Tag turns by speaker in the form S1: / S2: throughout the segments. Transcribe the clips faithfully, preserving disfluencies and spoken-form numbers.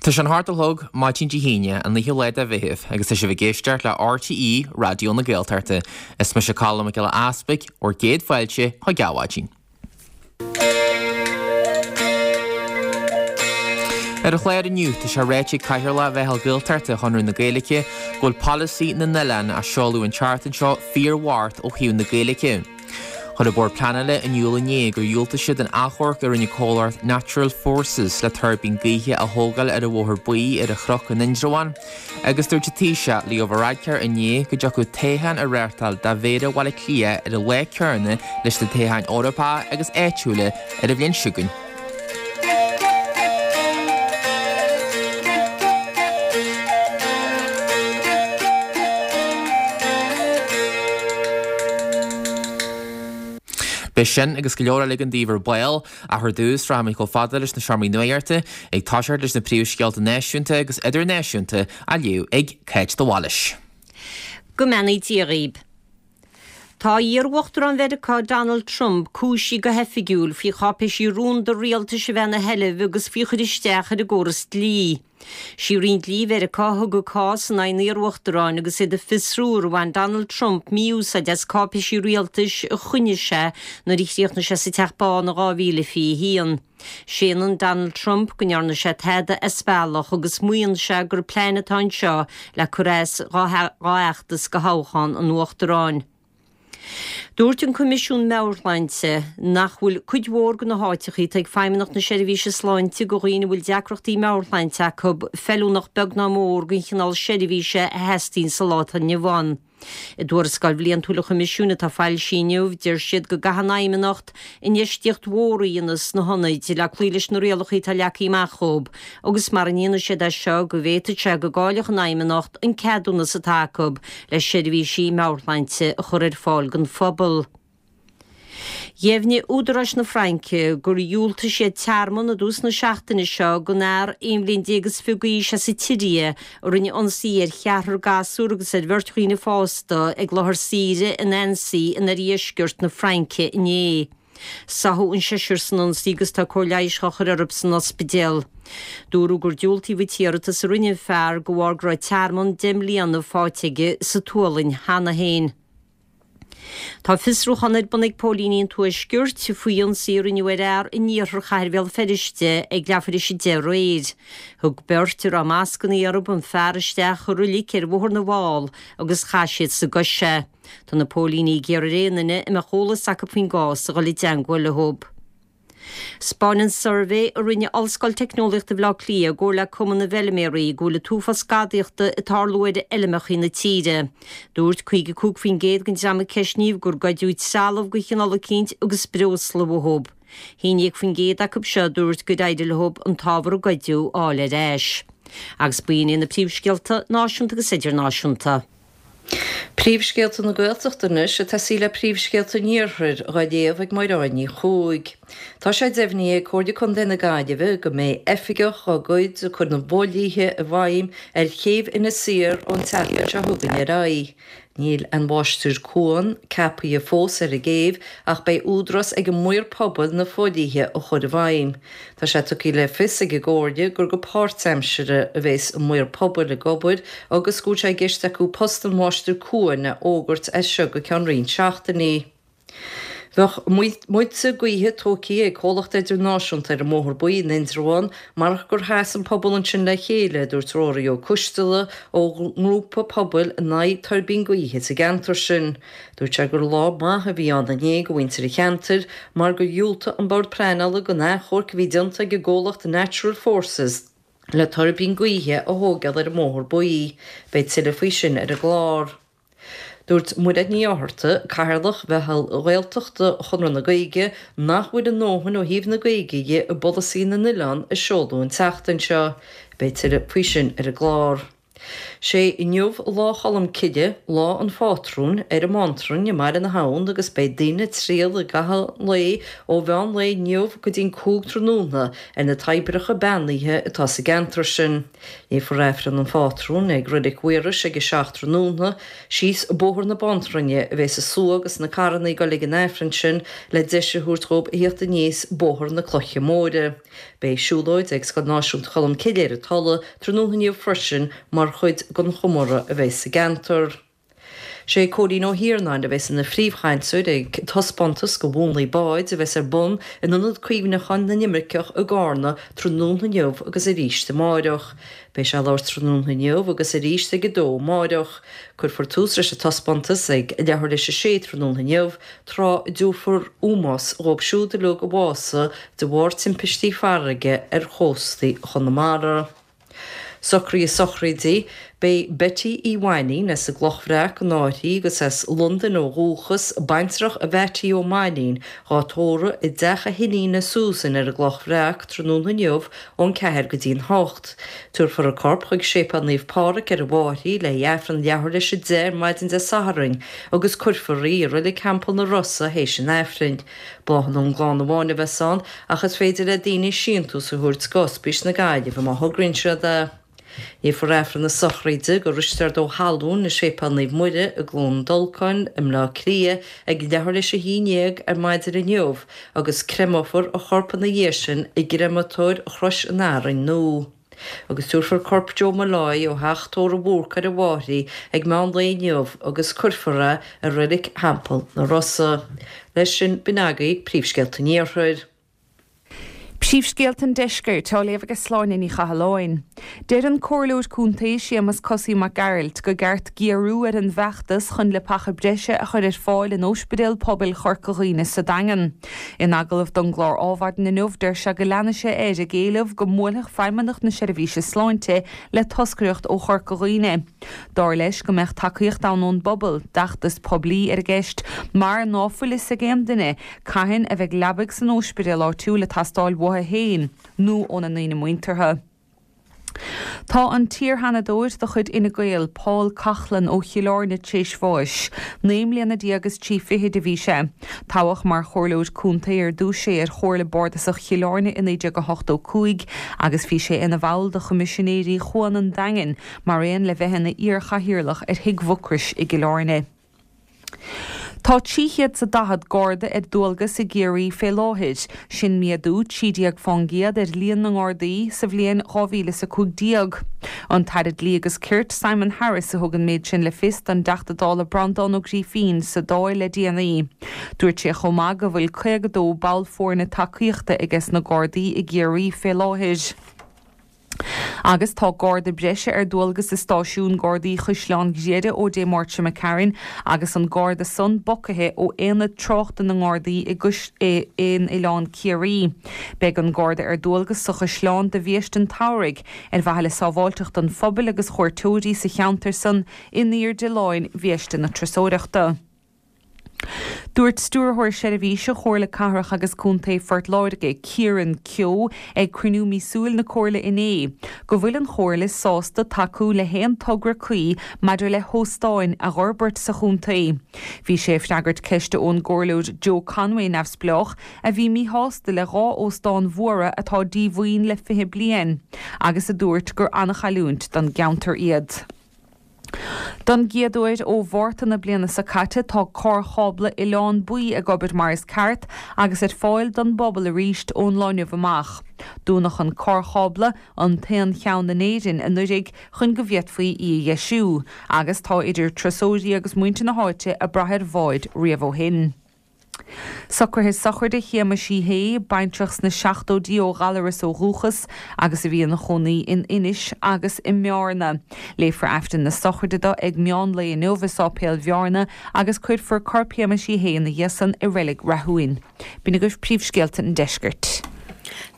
S1: Tá sé an hocht a chlog maidin Dé hAoine, an naoú lá de Mheitheamh, agus tá sibh ag éisteacht le RTÉ Raidió na Gaeltachta. Is mise Colm Mac Giolla Easpaig, bhur gcéad fáilte chuig Adhmhaidin. Ar an chlár inniu, tá sé ráite ag Cathaoirleach Mheitheal Gaeltachta Chonradh na Gaeilge go bhfuil polasaí na n-oileán a seoladh an tseachtain seo fíorbhocht ó thaobh na Gaeilge. Chuir an Bord Pleanála in iúl inné gur dhiúltaigh siad an achomharc a rinne comhlacht Natural Forces le tuirbín gaoithe a thógáil ar an Bhóthar Buí ar an Chnoc in Indreabhán agus dúirt an Taoiseach Leo Varadkar inné go dtiocfadh toghchán a reáchtáil do Mhéara Bhaile Átha Cliath ar an lá céanna leis na toghcháin Eorpacha agus áitiúla ar an bhliain seo chugainn. Beidh sin agus go leor eile againn daoibh ar ball, ach ar dtús rachaimid chomh fada leis na seomraí nuachta, ag toiseacht leis na príomhscéalta náisiúnta agus idirnáisiúnta á léamh ag Cáit de Bhailís.
S2: Go mbeannaí Dia dhaoib. Tá iar-Uachtarán Mheiriceá Donald Trump cúisithe go hoifigiúil faoi cháipéisí rúnda rialtais a bheith ina sheilbh agus faoi chur isteach ar an gcóras dlí. Sí Roinn Dlí Mheiriceá a thug an cás in aghaidh an iar-uachtaráin agus iad ag fiosrú ar bhain Donald Trump mí-úsáid as cáipéisí rialtais a choinnigh sé nuair a chríochnaigh sé sa Teach Bán in dhá mhíle fiche a haon. Séanann Donald Trump go ndearna sé tada as bealach agus maíonn sé gur plean atá anseo le cur as dá fheachtas do thoghchán an uachtaráin. Dúirt an Coimisiún Meabhairshláinte nach bhfuil cuid mhór de na háiteacha atá ag Feidhmeannacht na Seirbhíse Sláinte do dhaoine a bhfuil deacrachtaí meabhairshláinte acu feiliúnach beag ná mór don chineál seirbhíse a theastaíonn sa lá atá inniu ann. I dtuarascáil bhliantúil an Choimisiúin atá foilsithe inniu, deir siad go gcaithfidh an Fheidhmeannacht infheistíocht mhór a dhéanamh sna hionaid le cloí leis na rialacha atá leagtha amach dhóibh agus mara ndéanfaidh siad é seo go bhféadfadh sé go gcaillfeadh an Fheidhmeannacht an ceadúnas atá acu le seirbhísí meabhairshláinte a chur ar fáil don phobal. Dheimhnigh údaráis na Fraince gur dhiúltaigh siad tearmann i dtús na seachtaine seo don fhear aon bhliain déag is fiche d'aois as an tSiria a rinne ionsaí ar cheathrar gasúr agus ar bheirt dhaoine fásta ag láthair saoire in Annecy in oirdheisceart na Fraince inné. Sáthadh an seisear san ionsaí agus tá cóir leighis á chur orthu san ospidéal. Dúradh gur diúltaíodh an t-iarratas a rinne an fear de bharr go raibh tearmann deich mbliana faighte aige sa tSualainn cheana féin. Tá fiosrúchán ar bun ag póilíní an Tuaiscirt faoi ionsaí a rinneadh ar fhear in iarthar chathair Bhéal Feirste ag leathuair tar éis a deich aréir. Thug beirt a raibh mascanna orthu an fear isteach i roilic ar Bhóthar na bhFál agus chaith siad sa gcois é. Tá na póilíní ag iarraidh ar aon duine a mbeadh eolas acu faoin gcás a dhul i dteangmháil leo. 'Spáineann suirbhé a rinne Ollscoil Teicneolaíochta Bhaile Átha Cliath i gcomhar le Cumann na bhFeilméaraí go bhfuil an t-uafás gadaíochta ag tarlú ar fheilmeacha na tíre. Dúirt caoga a cúig faoin gcéad den dream a ceistníodh gur goideadh trealamh de chineál eicínt agus breosla uathu. haon déag faoin gcéad acu seo a dúirt gur éirigh leo an t-ábhar a goideadh a fháil ar ais. Agus b'in iad na príomhscéalta náisiúnta agus idirnáisiúnta.
S3: Príomhscéalta na Gaeltachta anois ag tosaí le príomhscéalta an Iarthair, dhá léamh ag Máire Ní Chuaig. Tá sé deimhnithe ag Comhairle Contae na Gaillimhe go mbeidh oifigeach dá gcuid ag cur na bhfodhlíthe i bhfeidhm ar chéibh Inis Oírr ón tseachtain seo chugainn ar aghaidh. Níl aon mháistir cuain ceaptha fós ar an gcéibh ach beidh údarás ag an maor pobail na fodhlíthe a chur i bhfeidhm. Tá sé tugtha le fios ag an gComhairle gur go páirtaimseartha a bheas an maor pobail ag obair agus go bhfuil sé i gceist acu post an mháistir cuain a fhógairt as seo go ceann roinnt seachtainí. Bheadh muilte gaoithe tógtha ag comhlacht idirnáisiúnta ar an mBóthar Buí in Indreabhán marach gur sheas an pobal ansin le chéile, a dúirt Ruairí Ó Coisteala ó ngrúpa pobail in aghaidh tuirbín gaoithe sa gceantar sin. Dúirt sé gur lá maith a bhí ann inné do mhuintir an cheantair mar gur dhiúltaigh an Bord Pleanála don achomharc a bhí déanta ag an gcomhlacht Natural Forces le tuirbín gaoithe a thógáil ar an mBóthar Buí. Beidh tuilleadh faoi sin ar an gclár. Dúirt Mairéad Ní Fhátharta, Cathaoirleach Mheitheal Ghaeltachta Chonradh na Gaeilge, nach bhfuil a ndóthain ó thaobh na Gaeilge dhe i bpolasaí na n-oileán a seoladh an tseachtain seo. Beidh tuilleadh faoi sin ar an gclár. Sé inniu Lá Cholm Cille, Lá an Phátrúin, ar an mBántrainn i mBaile na hAbhann agus beidh daoine ag triall i gcaitheamh an lae ó mheán lae inniu go dtí'n cúig tráthnóna ar na toibreacha beannaithe atá sa gceantar sin. Léifear Aifreann an Phátrúin ag Reilig Mhaorais ag a seacht tráthnóna. Síos Bóthar na Bántrainne a bheas an slua agus na carranna ag dul ag an Aifreann sin le deis a thabhairt dhóibh a theacht aníos Bóthar na Cloiche Móire. Beidh siúlóid ag Scoil Náisiúnta Cholm Cille ar an Tulaigh tráthnóna inniu freisin mar chuid den chomóradh a bheidh sa gceantar. Sé Cóilín Ó hIarnáin a bheas ina phríomhchainteoir ag taispeántas de mhúnlaí báid a bheas ar bun in Ionad Cuimhneacháin na nImirceach i gCarna tráthnóna inniu agus arís amáireach. Beidh sé ag labhairt tráthnóna inniu agus arís ag a dó amáireach. Cuirfear tús leis an taispeántas ag leathuair leis a sé tráthnóna inniu, tráth a dtabharfar ómós dhóibh siúd uilig a bhásaigh de bharr timpistí farraige ar chóstaí Chonamara. Socruithe sochraide, Beidh Betty Uí Mhainín as an gCloch Bhreac in Áirthí agus as Londain ó dhúchas, baintreach Mheaití Ó Mainín, dhá tórramh i dteach a hiníne Susan ar an gCloch Bhreac tráthnóna inniu ón ceathair go dtí'n hocht. Tabharfar a corp chuig Séipéal Naomh Pádraig ar an bhFairche le haghaidh Aifreann leathuair leis a deich ar maidin Dé Sathairn agus cuirfear í i Reilig Theampall na Rosa théis an Aifrinn. Bláthanna ón gclann amháin a bheas ann ach is féidir le daoine síntiús a thabhairt go Ospís na Gaillimhe má thograíonn siad é. Léifear Aifreann na sochraide do Risteard Ó hAllúin i Séipéal Naomh Muire i gCluain Dolcáin i mBleá Cliath ag leathuair leis a haon dhéag ar maidin inniu agus creimeofar a chorp ina dhiaidh sin i gcreimeatóir Chrois an Fhearainn Nua. Agus tabharfar corp Joe Molloy ó theach tórraimh Bhúrc ar an bhFairche ag meán lae inniu agus cuirfear é i Reilig Theampall na Rosa. Leis sin, b'in agaibh príomhscéalta an Iarthair.
S4: Príomhscéalta an Deiscirt á léamh ag Sláine Ní Chathalláin. Deir an Comhairleoir Contae Séamus Cosaí Mac Gearailt go gceart géarú ar an bhfeachtas chun leapacha breise a chur ar fáil in Ospidéal Pobail Chorca Dhuibhne sa Daingean. In agallamh don gclár Adhmhaidin inniu deir sé go leanfaidh sé air ag éileamh go mbuailfeadh Feidhmeannacht na Seirbhíse Sláinte le toscaireacht ó Chorca Dhuibhne. Dar leis go mbeadh tacaíocht ann ón bpobal d'fheachtas poiblí ar an gceist mar ná fuil fhios ag aon duine cathain a bheidh leabaidh san ospidéal áitiúil ag teastáil uathu féin nó óna ndaoine muinteartha. Tá an t-iarsheanadóir de chuid Fhine Gael, Paul Coughlan ó Chill Airne tar éis bháis. Naoi mbliana déag is trí fichid a bhí sé. Toghadh mar chomhairleoir contae ar dtús é ar Chomhairle Bardasach Chill Airne i naoi déag a hochtó cúig agus bhí sé ina bhall de Choimisinéirí Chuan an Daingin mar aon le bheith ina iarchathaoirleach ar Thigh Mhucrois i gCill Airne. Tá trí chéad 's a daichead Garda ar dualgas i gCiarraí fé láthair, sin méadú trí déag fán gcéad ar líon na nGardaí sa bhliain dhá mhíle is a cúig déag. An tAire Dlí agus Cirt, Simon Harris a thug an méid sin le fios don dTeachta Dála Breandán Ó Grífín sa Dáil le déanaí. Dúirt sé chomh maith go bhfuil caoga dó ball foirne tacaíochta aige sna Gardaí i gCiarraí fé láthair. Agus tá garda breise ar dualgas i stáisiún Gardaí Chaisleán Ghriaire ó Dé Máirt seo imigh tharainn agus an garda san bogtha ó aonad tráchta na nGardaí i in Oileán Ciarraí. Beidh an garda ar dualgas sa chaisleán do bhiaiste an tsamhraidh ar mhaithe le sábháilteacht an phobail agus chuairteoirí sa cheantar san in airde láin bhiaiste na turasóireachta. Dúirt Stiúrthóir Seirbhíse Chomhairle Cathrach agus Contae Phort Láirge, Kieran Keogh, ag cruinniú míosúil na Comhairle inné, go bhfuil an Chomhairle sásta tacú le haon togra cuí maidir le hóstáin a fhorbairt sa chontae. Bhí sé ag freagairt ceiste ón gComhairleoir Joe Conway neamhspleách, a bhí míshásta le dhá óstán mhóra atá díomhaoin le fiche bliain, agus a dúirt gur an-chailliúint don gceantar iad. Don gcéad uair ó Mhárta na bliana seo caite tá carrchábla Oileán Buí ag obair mar is ceart agus ar fáil don bpobal arís ón lá inniu amach. Dúnadh an carrchábla, an t-aon cheann in Éirinn, anuraidh chun go bhféadfaí í a dheisiú, agus tá idir turasóirí agus muintir na háite ag brath ar bháid riamh ó shin. Socruithe sochraide Shéamais Uí Shé, baintreach sna seachtóidí ó Ghallaras ó dhúchas agus a bhí ina chónaí in Inis agus i mBearna. Léifear Aifreann na sochraide dó ag meán lae inniu i Sáipéal Bhearna agus cuirfear corp Shéamais Uí Shé ina dhiaidh san i Reilig Rathúin. B'in agaibh príomhscéalta an deiscirt.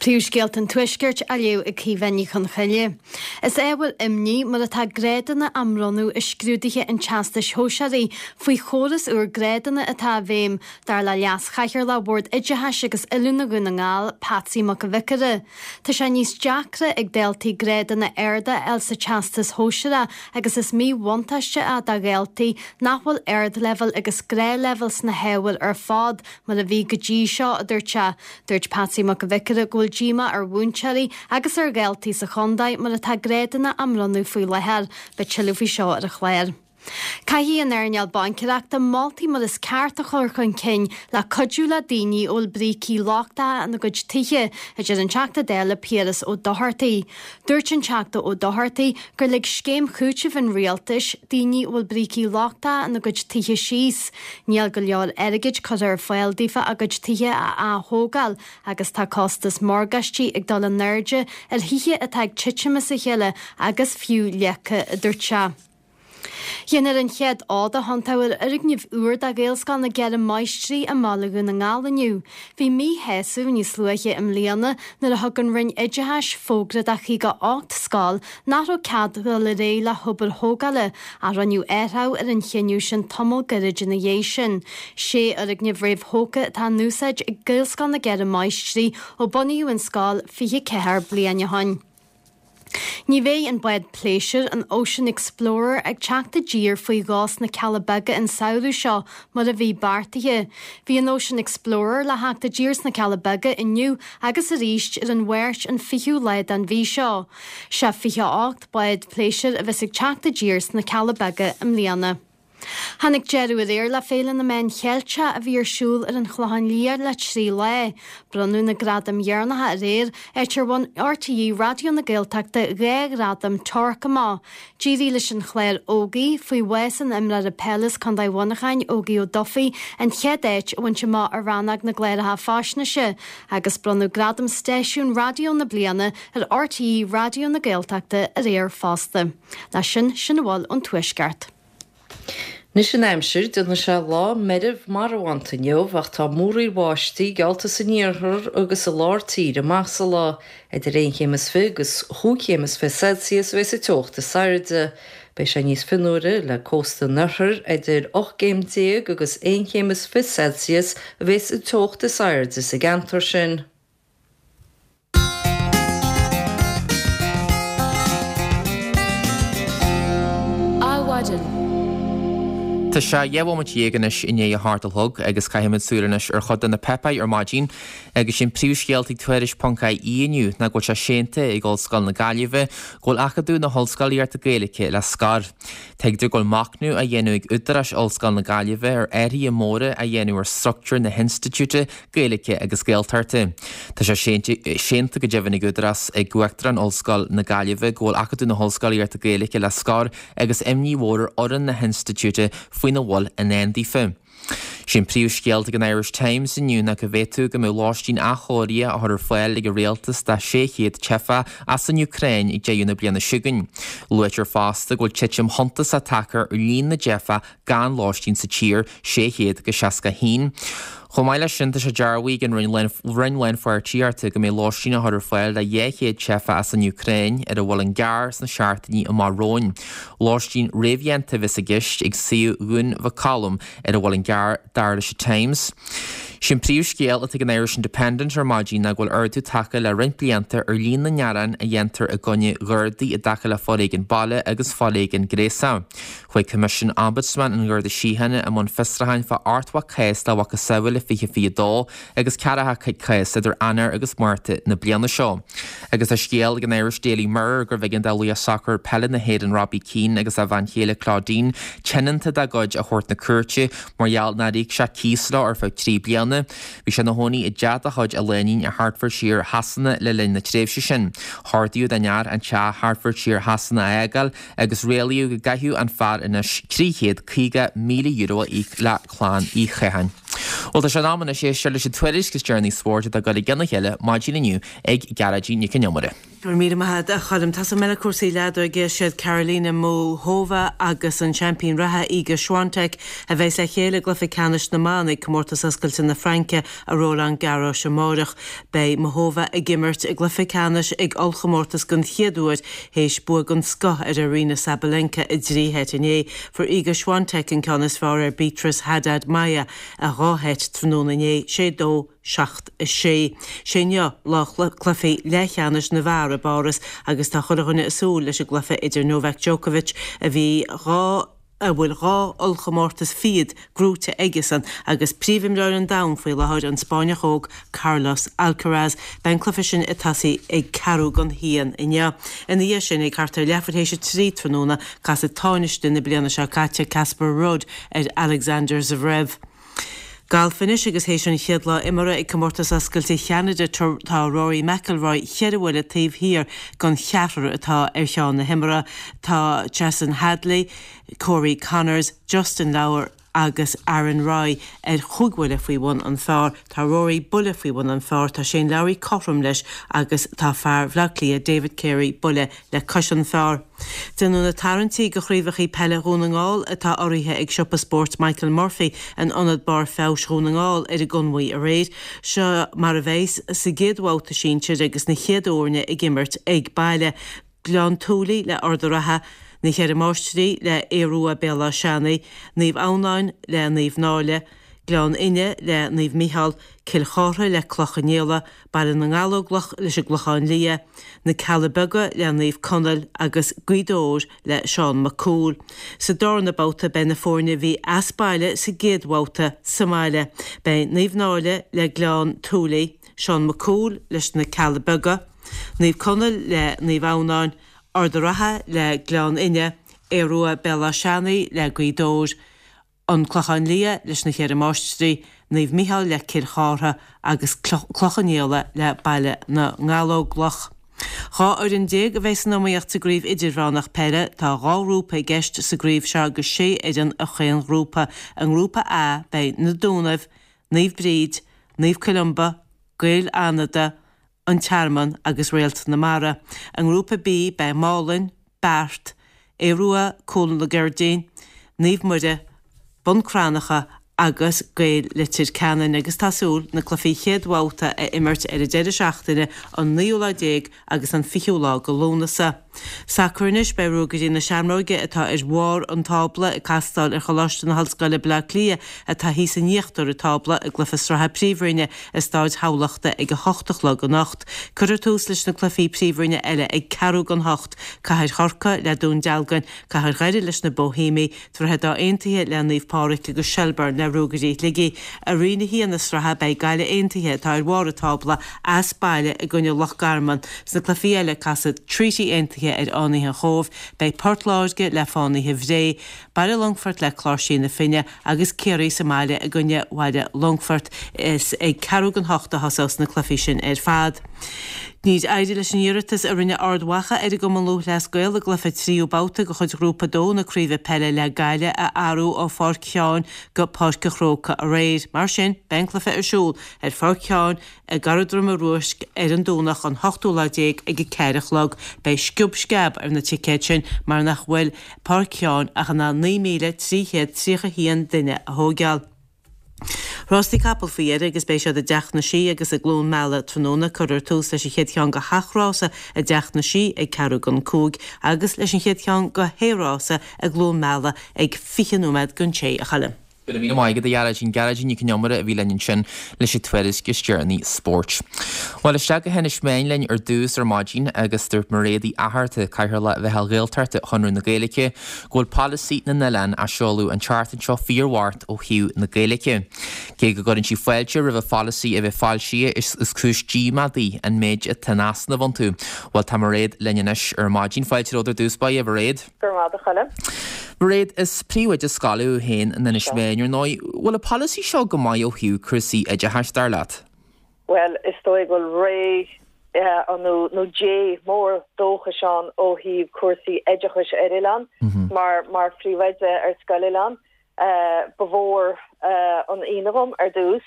S5: Príomhscéalta an Tuaiscirt á léamh ag Caoimhe Ní Chonchoille. Is ábhar imní mar atá grádanna á mbronnadh i scrúduithe an Teastais Shóisearaigh faoi chóras úr grádanna atá i bhfeidhm, dar le Leas-Chathaoirleach Bhord Oideachais agus Oiliúna Dhún na nGall, Patsy Mac an Bhiocaire. Tá sé níos deacra ag daltaí grádanna arda a fháil sa Teastas Shóisearach agus is míbhuntáiste é do dhaltaí nach bhfuil ardleibhéal agus gnáthleibhéal sna hábhair ar fad mar a bhí go dtí seo, a dúirt sé. Dúirt Patsy Mac an Bhiocaire go bhfuil díomá ar mhúinteoirí agus ar dhaltaí sa chontae mar atá grádanna á mbronnadh faoi láthair. Beidh tuilleadh faoi seo ar an chlár. Caithfidh an earnáil baincéireachta moltaí mar is ceart a chur chun cinn le cuidiú le daoine a bhfuil brící lochtacha ina gcuid tithe, a deir an Teachta Dála Piaras Ó Dochartaigh. Dúirt an Teachta Ó Dochartaigh gur lig scéim chúitimh an rialtais daoine a bhfuil brící lochtacha ina gcuid tithe síos. Níl go leor airgid curtha ar fáil daofa a gcuid tithe a ath-thógáil agus tá costas morgáistí ag dul in airde ar thithe atá ag titim as a chéile agus fiú leagtha, a dúirt sé. Déanfar an chéad fhód a thiontaigh ar fhoirgneamh úr do Ghaelscoil na gCeithre Máistrí i mBaile Dhún na nGall inniu. Bhí míshásamh níos luaithe i mbliana nuair a thug an Roinn Oideachais fógra do chaoga ocht scoil nach raibh cead dul ar aghaidh le hobair thógála ach rinneadh athrú ar an chinneadh sin tamall gairid ina dhiaidh sin. Sé fhoirgneamh réamhthógtha atá in úsáid ag Gaelscoil na gCeithre Máistrí ó bunaíodh an scoil fiche ceathair bliain ó shin. Ní bheidh an bád pléisiúir, an Ocean Explorer, ag teacht i dtír faoi dhó sna Cealla Beaga an samhradh seo mar a bhí beartaithe. Bhí an Ocean Explorer le theacht i dtír sna Cealla Beaga inniu agus arís ar an Mháirt an fichiú lá den mhí seo. Sé fiche a hocht bád pléisiúir a bheas ag teacht i dtír sna Cealla Beaga i mbliana. Tháinig deireadh aréir le Féile na Meán Cheilteach a bhí ar siúl ar an Chlochán Liath le trí lá. Bronnadh na gradaim dheireanacha aréir, áit ar bhain RTÉ Raidió na Gaeltachta dhá ghradam Torc amach. D'éirigh leis an chlár Ógie, faoi bhás an imreora peile as Contae Mhuineacháin, Ógie Ó Dufaigh, an chéad áit a bhaint amach i rannóg na gcláracha faisnéise, agus bronnadh gradam Stáisiún Raidió na Bliana ar RTÉ Raidió na Gaeltachta aréir fosta. Leis sin, sin a bhfuil ón Tuaisceart.
S3: Anois an aimsir, déanfaidh sé lá meirbh marbhánta inniu ach tá múraíl bháistí geallta san iarthar agus i lár tíre amach sa lá. Idir aon chéim is fiche agus chúig chéim is fiche Celsius a bheas an teocht is airde. Beidh sé níos fionnuaire le cósta an oirthir, idir ocht gcéim déag agus aon chéim is fiche Celsius a bheas an teocht is airde sa gceantar sin.
S1: Adhmhaidin. Tá sé dhá bhomaite dhéag anois i ndiaidh a hocht a chlog agus caithfimid súil anois ar chuid de na páipéir ar maidin agus sin príomhscéalta ag Tuairisc ponc IE inniu ná go bhfuil sé séanta ag Ollscoil na Gaillimhe go bhfuil Acadamh na hOllscolaíochta Gaeilge le scor. Tuigtear go bhfuil machnamh á dhéanamh ag údaráis Ollscoil na Gaillimhe ar athruithe móra a dhéanamh ar struchtúr na hinstitiúide Gaeilge agus Gaeltachta. Tá sé séanta go deimhin ag údarás ag Uachtarán Ollscoil na Gaillimhe go bhfuil Acadamh na hOllscolaíochta Gaeilge le scor agus imní mhór ar fhoireann na hinstitiúide faoina bhfuil i ndán daofa. Sé an príomhscéal ag an Irish Times inniu ná go bhféadfadh go mbeadh lóistín athchóirithe á chur ar fáil ag an rialtas do sé chéad teifeach as an Úcráin ag deireadh na bliana seo chugainn. Luaitear fosta go bhfuil titim shuntasach tagtha ar líon na dteifeach gan lóistín sa tír, sé chéad agus seasca a haon. Chomh maith leis sin, tá sé dearbhaithe ag an Roinn Lánpháirtíochta go mbeidh lóistín á chur ar fáil do dhá chéad teifeach as an Úcráin ar an Mhuileann gCearr sna seachtainí amach romhainn. Lóistín réamhdhéanta a bheas i gceist ag suíomh Dhún Mhic Colm ar an Mhuileann gCearr, dar leis an Times. Sin príomhscéal atá ag an Irish Independent ar maidin ná go bhfuil ardú tagtha le roinnt blianta ar líon na ngearán a dhéantar i gcoinne Ghardaí i dtaca le foréigean baile agus foréigean gnéasach. Chuaigh Coimisiún Ombudsman an Gharda Síochána i mbun fiosrúcháin fá ochtó cás dá mhacasamhail i fiche fiche dó agus ceathracha cás idir Eanáir agus Márta na bliana seo. Agus tá scéal ag an Irish Daily Mirror gurbh éigean do laoch sacair peile na hÉireann Robbie Keane agus a bhean chéile Claudine tionónta dá gcuid a thabhairt na cúirte mar gheall nár íoc sé cíos leo ar feadh trí bliana. Bhí sé ina chónaí i dteach de chuid a léinín i Hertfordshire Shasana le linn na tréimhse sin. Hordaíodh don fhear an teach Hertfordshire Shasana a fhágáil agus rialaíodh go gcaithfeadh an fear anois trí chéad caoga míle euro a íoc le clann Uí Chatháin. Bhuel, tá sé in am anois éisteacht leis an tuairisc is deireanaí spóirt atá ag dul i gcionn a chéile maidin inniu ag Gearóidín Nic an Iomaire.
S6: Go raibh míle maith agat, a Choilm. Tosóidh mé le cúrsaí leadóige. Siad Karolina Muchova agus an seaimpín reatha Iga Swiatek a bheas le chéile i gcluiche ceannais na mban ag Comórtas Oscailte na Fraince i Roland Garros amárach. Beidh Muchova ag imirt i gcluiche ceannais ag ollchomórtas den chéad uair théis bua den scoth ar Aryna Sabalenka i dtrí sheit inné. Fuair Iga Swiatek an ceann is fearr ar Beatriz Haddad Maia i dhá sheit tráthnóna inné, sé dó, seacht a sé. Sé inniu lá cluichí leathcheannais na bhfear i bPáras agus tá chuile dhuine ag súil leis an gcluiche idir Novak Djokovic a bhí dhá a bhfuil dhá ollchomórtas fichead gnóite aigesan agus príomhimreoir an domhain faoi láthair, an Spáinneach óg Carlos Alcaraz. Beidh an cluiche sin ag tosaí ag ceathrú don haon inniu. Ina dhiaidh sin, ag thart ar leathuair théis a trí tráthnóna, casfaidh tánaiste na bliana seo caite, Casper Ruud, ar Alexander Zverev. Galf anois agus théis an chéad lá imeartha ag Comórtas Oscailte Cheanada tá Rory McIlroy cheithre bhuille taobh thiar den cheathrar atá ar cheann na himeartha. Tá Chesson Hadley, Corey Conners, Justin Lower agus Aaron Rai ar chúig bhuille faoi bhun an phar. Tá Rory buille faoi bhun an phar, tá Shane Lowry cothrom leis agus tá fear Bhaile Átha Cliath David Carey buille le cois an phar. Déanadh na tarraingtí do chraobhacha peile Dhún na nGall atá urraithe ag siopa spóirt Michael Murphy in Ionad Barr Feabhais Dhún na nGall ar an gConmhaigh aréir. Seo mar a bheas sa gcéad bhabhta sinsir agus na chéad fhoirne ag imirt ag baile. Gleann tSúilí le Ard an Rátha, Na Ceithre Máistrí le Aodh Rua Béal Átha Seanaidh, Naomh Adhamhnáin le Naomh Náille, Gleann Fhinne le Naomh Micheál, Cill Chartha le Cloich Cheann Fhaola, Baile na nGallóglach leis an gClochán Liath, Na Cealla Beaga le Naomh Conaill agus Gaoth Dobhair le Seán Mac Cumhaill. Sa darna babhta beidh na foirne a bhí as baile sa gcéad bhabhta sa mbaile. Beidh Naomh Náille le Gleann tSúilí, Seán Mac Cumhaill leis na Cealla Beaga, Naomh Conaill le Naomh Adhamhnáin, Ard an Rátha le Gleann Fhinne, Aodh Rua Béal Átha Seanaidh le Gaoth Dobhair, An Clochán Liath leis na Ceithre Máistrí, Naomh Micheál le Cill Chartha agus Cloich Cheann Fhaola le Baile na nGallóglach. Dhá fhoireann déag a bheidh san iomaíocht sa gcraobh idirmheánach peile. Tá dhá ghrúpa i gceist sa gcraobh seo agus sé fhoireann i chaon ghrúpa. I ngrúpa A beidh Na Dúnaibh, Naomh Bríd, Naomh Columba, Gaeil Fhánada, An Tearmann agus Réalt na Mara. I ngrúpa B beidh Málainn, Beart, Aodh Rua Cúl na gCuirridín, Naomh Muire, Bun Cranncha agus Gaeil Leitir Ceanainn agus tá súil na cluichí chéad bhabhta a imirt ar an deireadh seachtaine an naoú lá déag agus an fichiú lá de Lúnasa. Sacar anois, beidh Ruagairí na Seamróige atá ar bharr an tábla ag castáil ar Choláiste na hOllscoile Baile Átha Cliath atá thíos in íochtar an tábla i gcluiche sraithe Príomhroinne i Stáid Thamhlachta ag a hocht a chlog anocht. Cuirfear tús leis na cluichí Príomhroinne eile ag ceathrú don hocht, Cathair Chorcaí le Dún Dealgan, Cathair Dhoire leis na Boihéamaigh, Droichead Átha Aontaithe le Naomh Pádraig agus Shelbourne le Ruagairí Shligigh. I Roinn a haon na sraithe beidh Gaillimh Aontaithe, atá ar bharr an tábla, as baile i gcoinne Loch Garman. Sna cluichí eile casfaidh Treaty Aontaithe ar Fhánaithe an Chóibh, beidh Port Láirge le Fánaithe Bhré, Baile Longfoirt le Cláirsigh na Finne agus Ciarraí sa mbaile i gcoinne Bhaile Longfoirt. Is ag ceathrú don hocht a thosós na cluichí sin ar fad. Níor éirigh leis an iarratas a rinne Ard Mhacha ar an gCumann Lúthchleas Gael a gcluiche tríú babhta de chuid Ghrúpa a dó na Craoibhe Peile le Gaillimh a athrú ó Pháirc Sheáin go Páirc an Chrócaigh aréir. Mar sin, beidh an cluiche ar siúl ar Pháirc Sheáin i gCarraig Droma Ruaisc ar an Domhnach an hochtú lá déag ag a ceathair a chlog. Beidh sciob sceab ar na ticéid sin mar nach bhfuil Páirc Sheáin ach in ann naoi míle trí chéad tríocha haon duine a thóigeáil. Rástaí capall faoi dheireadh agus beidh siad i dTeach na Sí agus i gCluain Meala tráthnóna. Cuirfear tús leis an chéad cheann de sheacht rása i dTeach na Sí ag ceathrú don cúig agus leis an chéad cheann de shé rása i gCluain Meala ag fiche nóiméad don sé, a Choilm.
S1: Go raibh míle maith agat, a Ghearóidín. Gearóidín Nic Con Iomaire a bhí linn ansin leis an tuairisc is deireanaí spóirt. Bhuel, isteach go hInis Meáin linn ar dtús ar maidin agus dúirt Mairéad Uí Fhatharta, Cathaoirleach Mheitheal Ghaeltachta Chonradh na Gaeilge, go bhfuil polasaí na n-oileán á seoladh an tseachtain seo fíorbhocht ó thaobh na Gaeilge. Cé go gcuireann sí fáilte roimh an pholasaí a bheith foilsithe, is cúis díomá di an méid atá in easnamh iontu. Bhuel, tá Mairéad linn anois ar maidin. Fáilte romhat ar dtús báire, a Mhairéad.
S7: Go raibh maith agat, a Choilm.
S1: Mairéad, is príomhoide scoile thú féin in Inis Meáin, ar ndóigh. Bhfuil an polasaí seo go maith ó thaobh cúrsaí oideachais, dar leat?
S7: Bhuel, is dóigh go bhfuil ré nó nó dé mór dóchais ann ó thaobh cúrsaí oideachais ar oileán. Mar mar phríomhoide ar scoil oileáin, ba mhór an ionadh dhom ar dtús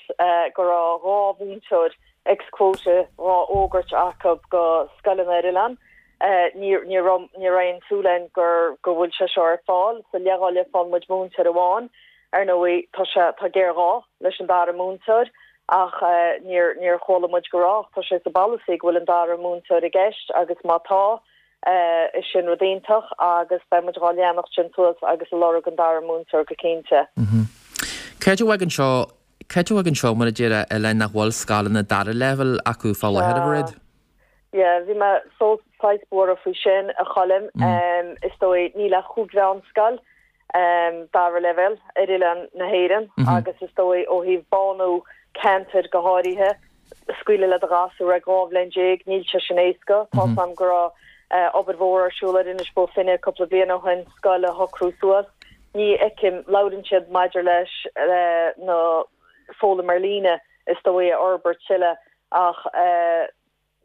S7: go raibh dhá mhúinteoir X-quota dhá fhógairt acu go scoileanna ar oileán. Ní ní raibh ní raibh aon súil againn gur go bhfuil sé seo ar fáil, sa leithdháileadh faigheann muid múinteoir amháin. Ar ndóigh tá sé tá géarghá leis an dara múinteoir ach níor níor chuala muid go raibh tá sé sa bpolasaí go bhfuil an dara múinteoir i gceist agus má tá is sin rud iontach agus beidh muid dhá leanacht sin suas agus ag lorg an dara múinteoir go cinnte.
S1: Céard a bheidh anseo Céard a bheidh anseo mar a deir oileáin nach bhfuil scoileanna dara leibhéal acu fá láthair a Mhairéad?
S7: Yeah, bhí mé so saghas buartha faoi sin a Choilm. Um, is dóigh níl ach cúig mheánscoil um, dara leibhéal ar oileán na hÉireann mm -hmm. agus is dóigh ó thaobh bánú ceantair go háirithe scaoileadh le do ghasúr ag dhá bhliain déag níl sé sin éasca mm -hmm. Tá go raibh uh, obair mhór ar siúl ar Inis Bó Finne cúpla bliain ó shin scoil a shocrú suas. Ní fheicim labhrann siad maidir leis uh, na foghlaim ar líne is dóigh a fhorbairt tuilleadh ach uh,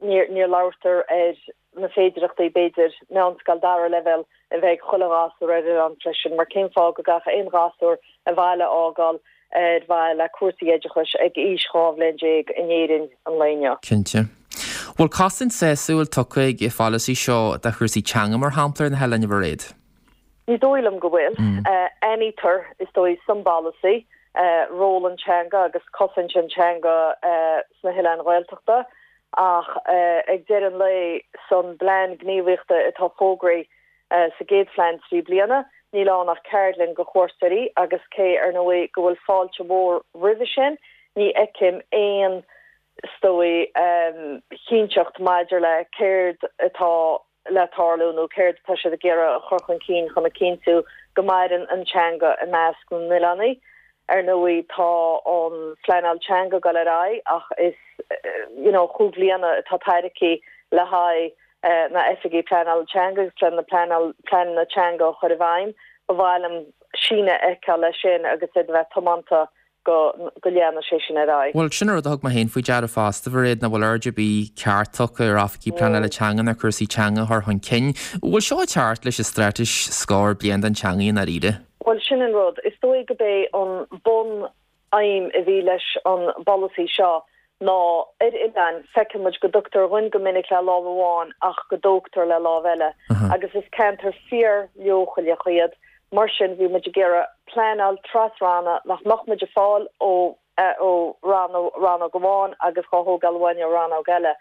S7: níor níor labhartar ar na féidearthachtaí b'fhéidir meánscoil dara leibhéal a bheith chuile ghasúr ar an freisin mar cén fáth go gcaithfeadh aon ghasúr a bhaile a fhágáil ar mhaithe le cúrsaí oideachais ag aois dhá bhliain déag in Éirinn an lae inniu.
S1: Cinnte. Bhfuil cosaint sásúil tugtha ag an pholasaí seo do chúrsaí teanga mar shampla ar na hoileáin a Mhairéad?
S7: Ní dóigh liom go bhfuil. Aithnítear is dóigh san bpolasaí ról an teanga agus cosaint an teanga sna hoileáin Ghaeltachta ach ag deireadh an lae san bplean gníomhaíochta atá fógraithe sa gcéad phlean trí bliana, níl ann ach ceardlann go chuairteoirí agus cé ar ndóigh go bhfuil fáilte mhór roimhe sin, ní fheicim aon is dóigh chinnteacht maidir le céard atá le tarlú nó céard atá siad ag iarraidh a chur chun cinn chun a chinntiú go maireann an teanga i measc na n-oileánaigh. Ar ndóigh tá an phleanáil teanga ag dul ar aghaidh ach is you know cúig bliana atá tairgthe le haghaidh na oifigí pleanála teanga agus le na pleanáil pleananna teanga a chur i bhfeidhm. Ba mhaith liom síneadh a fheiceáil leis sin agus iad a bheith tiomanta go go leanfaidh sé sin ar aghaidh.
S1: Bhuel sin rud a thug mé féin faoi deara fosta a Mhairéad nach bhfuil aird ar bith ceart tugtha ar oifigí pleanála teanga ná cúrsaí teanga a chur chun cinn. Bhfuil seo ag teacht leis an straitéis scór bliain don teanga i ndáiríre?
S7: Bhuel sin an rud. Is dóigh gurb é an bun-aidhm a bhí leis an bpolasaí seo ná ar oileáin feiceann muid go dtugtar dhuinn go minic le lámh amháin ach go dtógtar le lámh eile agus is ceantar fíor-leochaileach iad. Mar sin bhí muid ag iarraidh pleanáil tras-ranna nach mbeadh muid ag fáil ó ó rannóg amháin agus dhá thógáil uainn ó rannóg eile.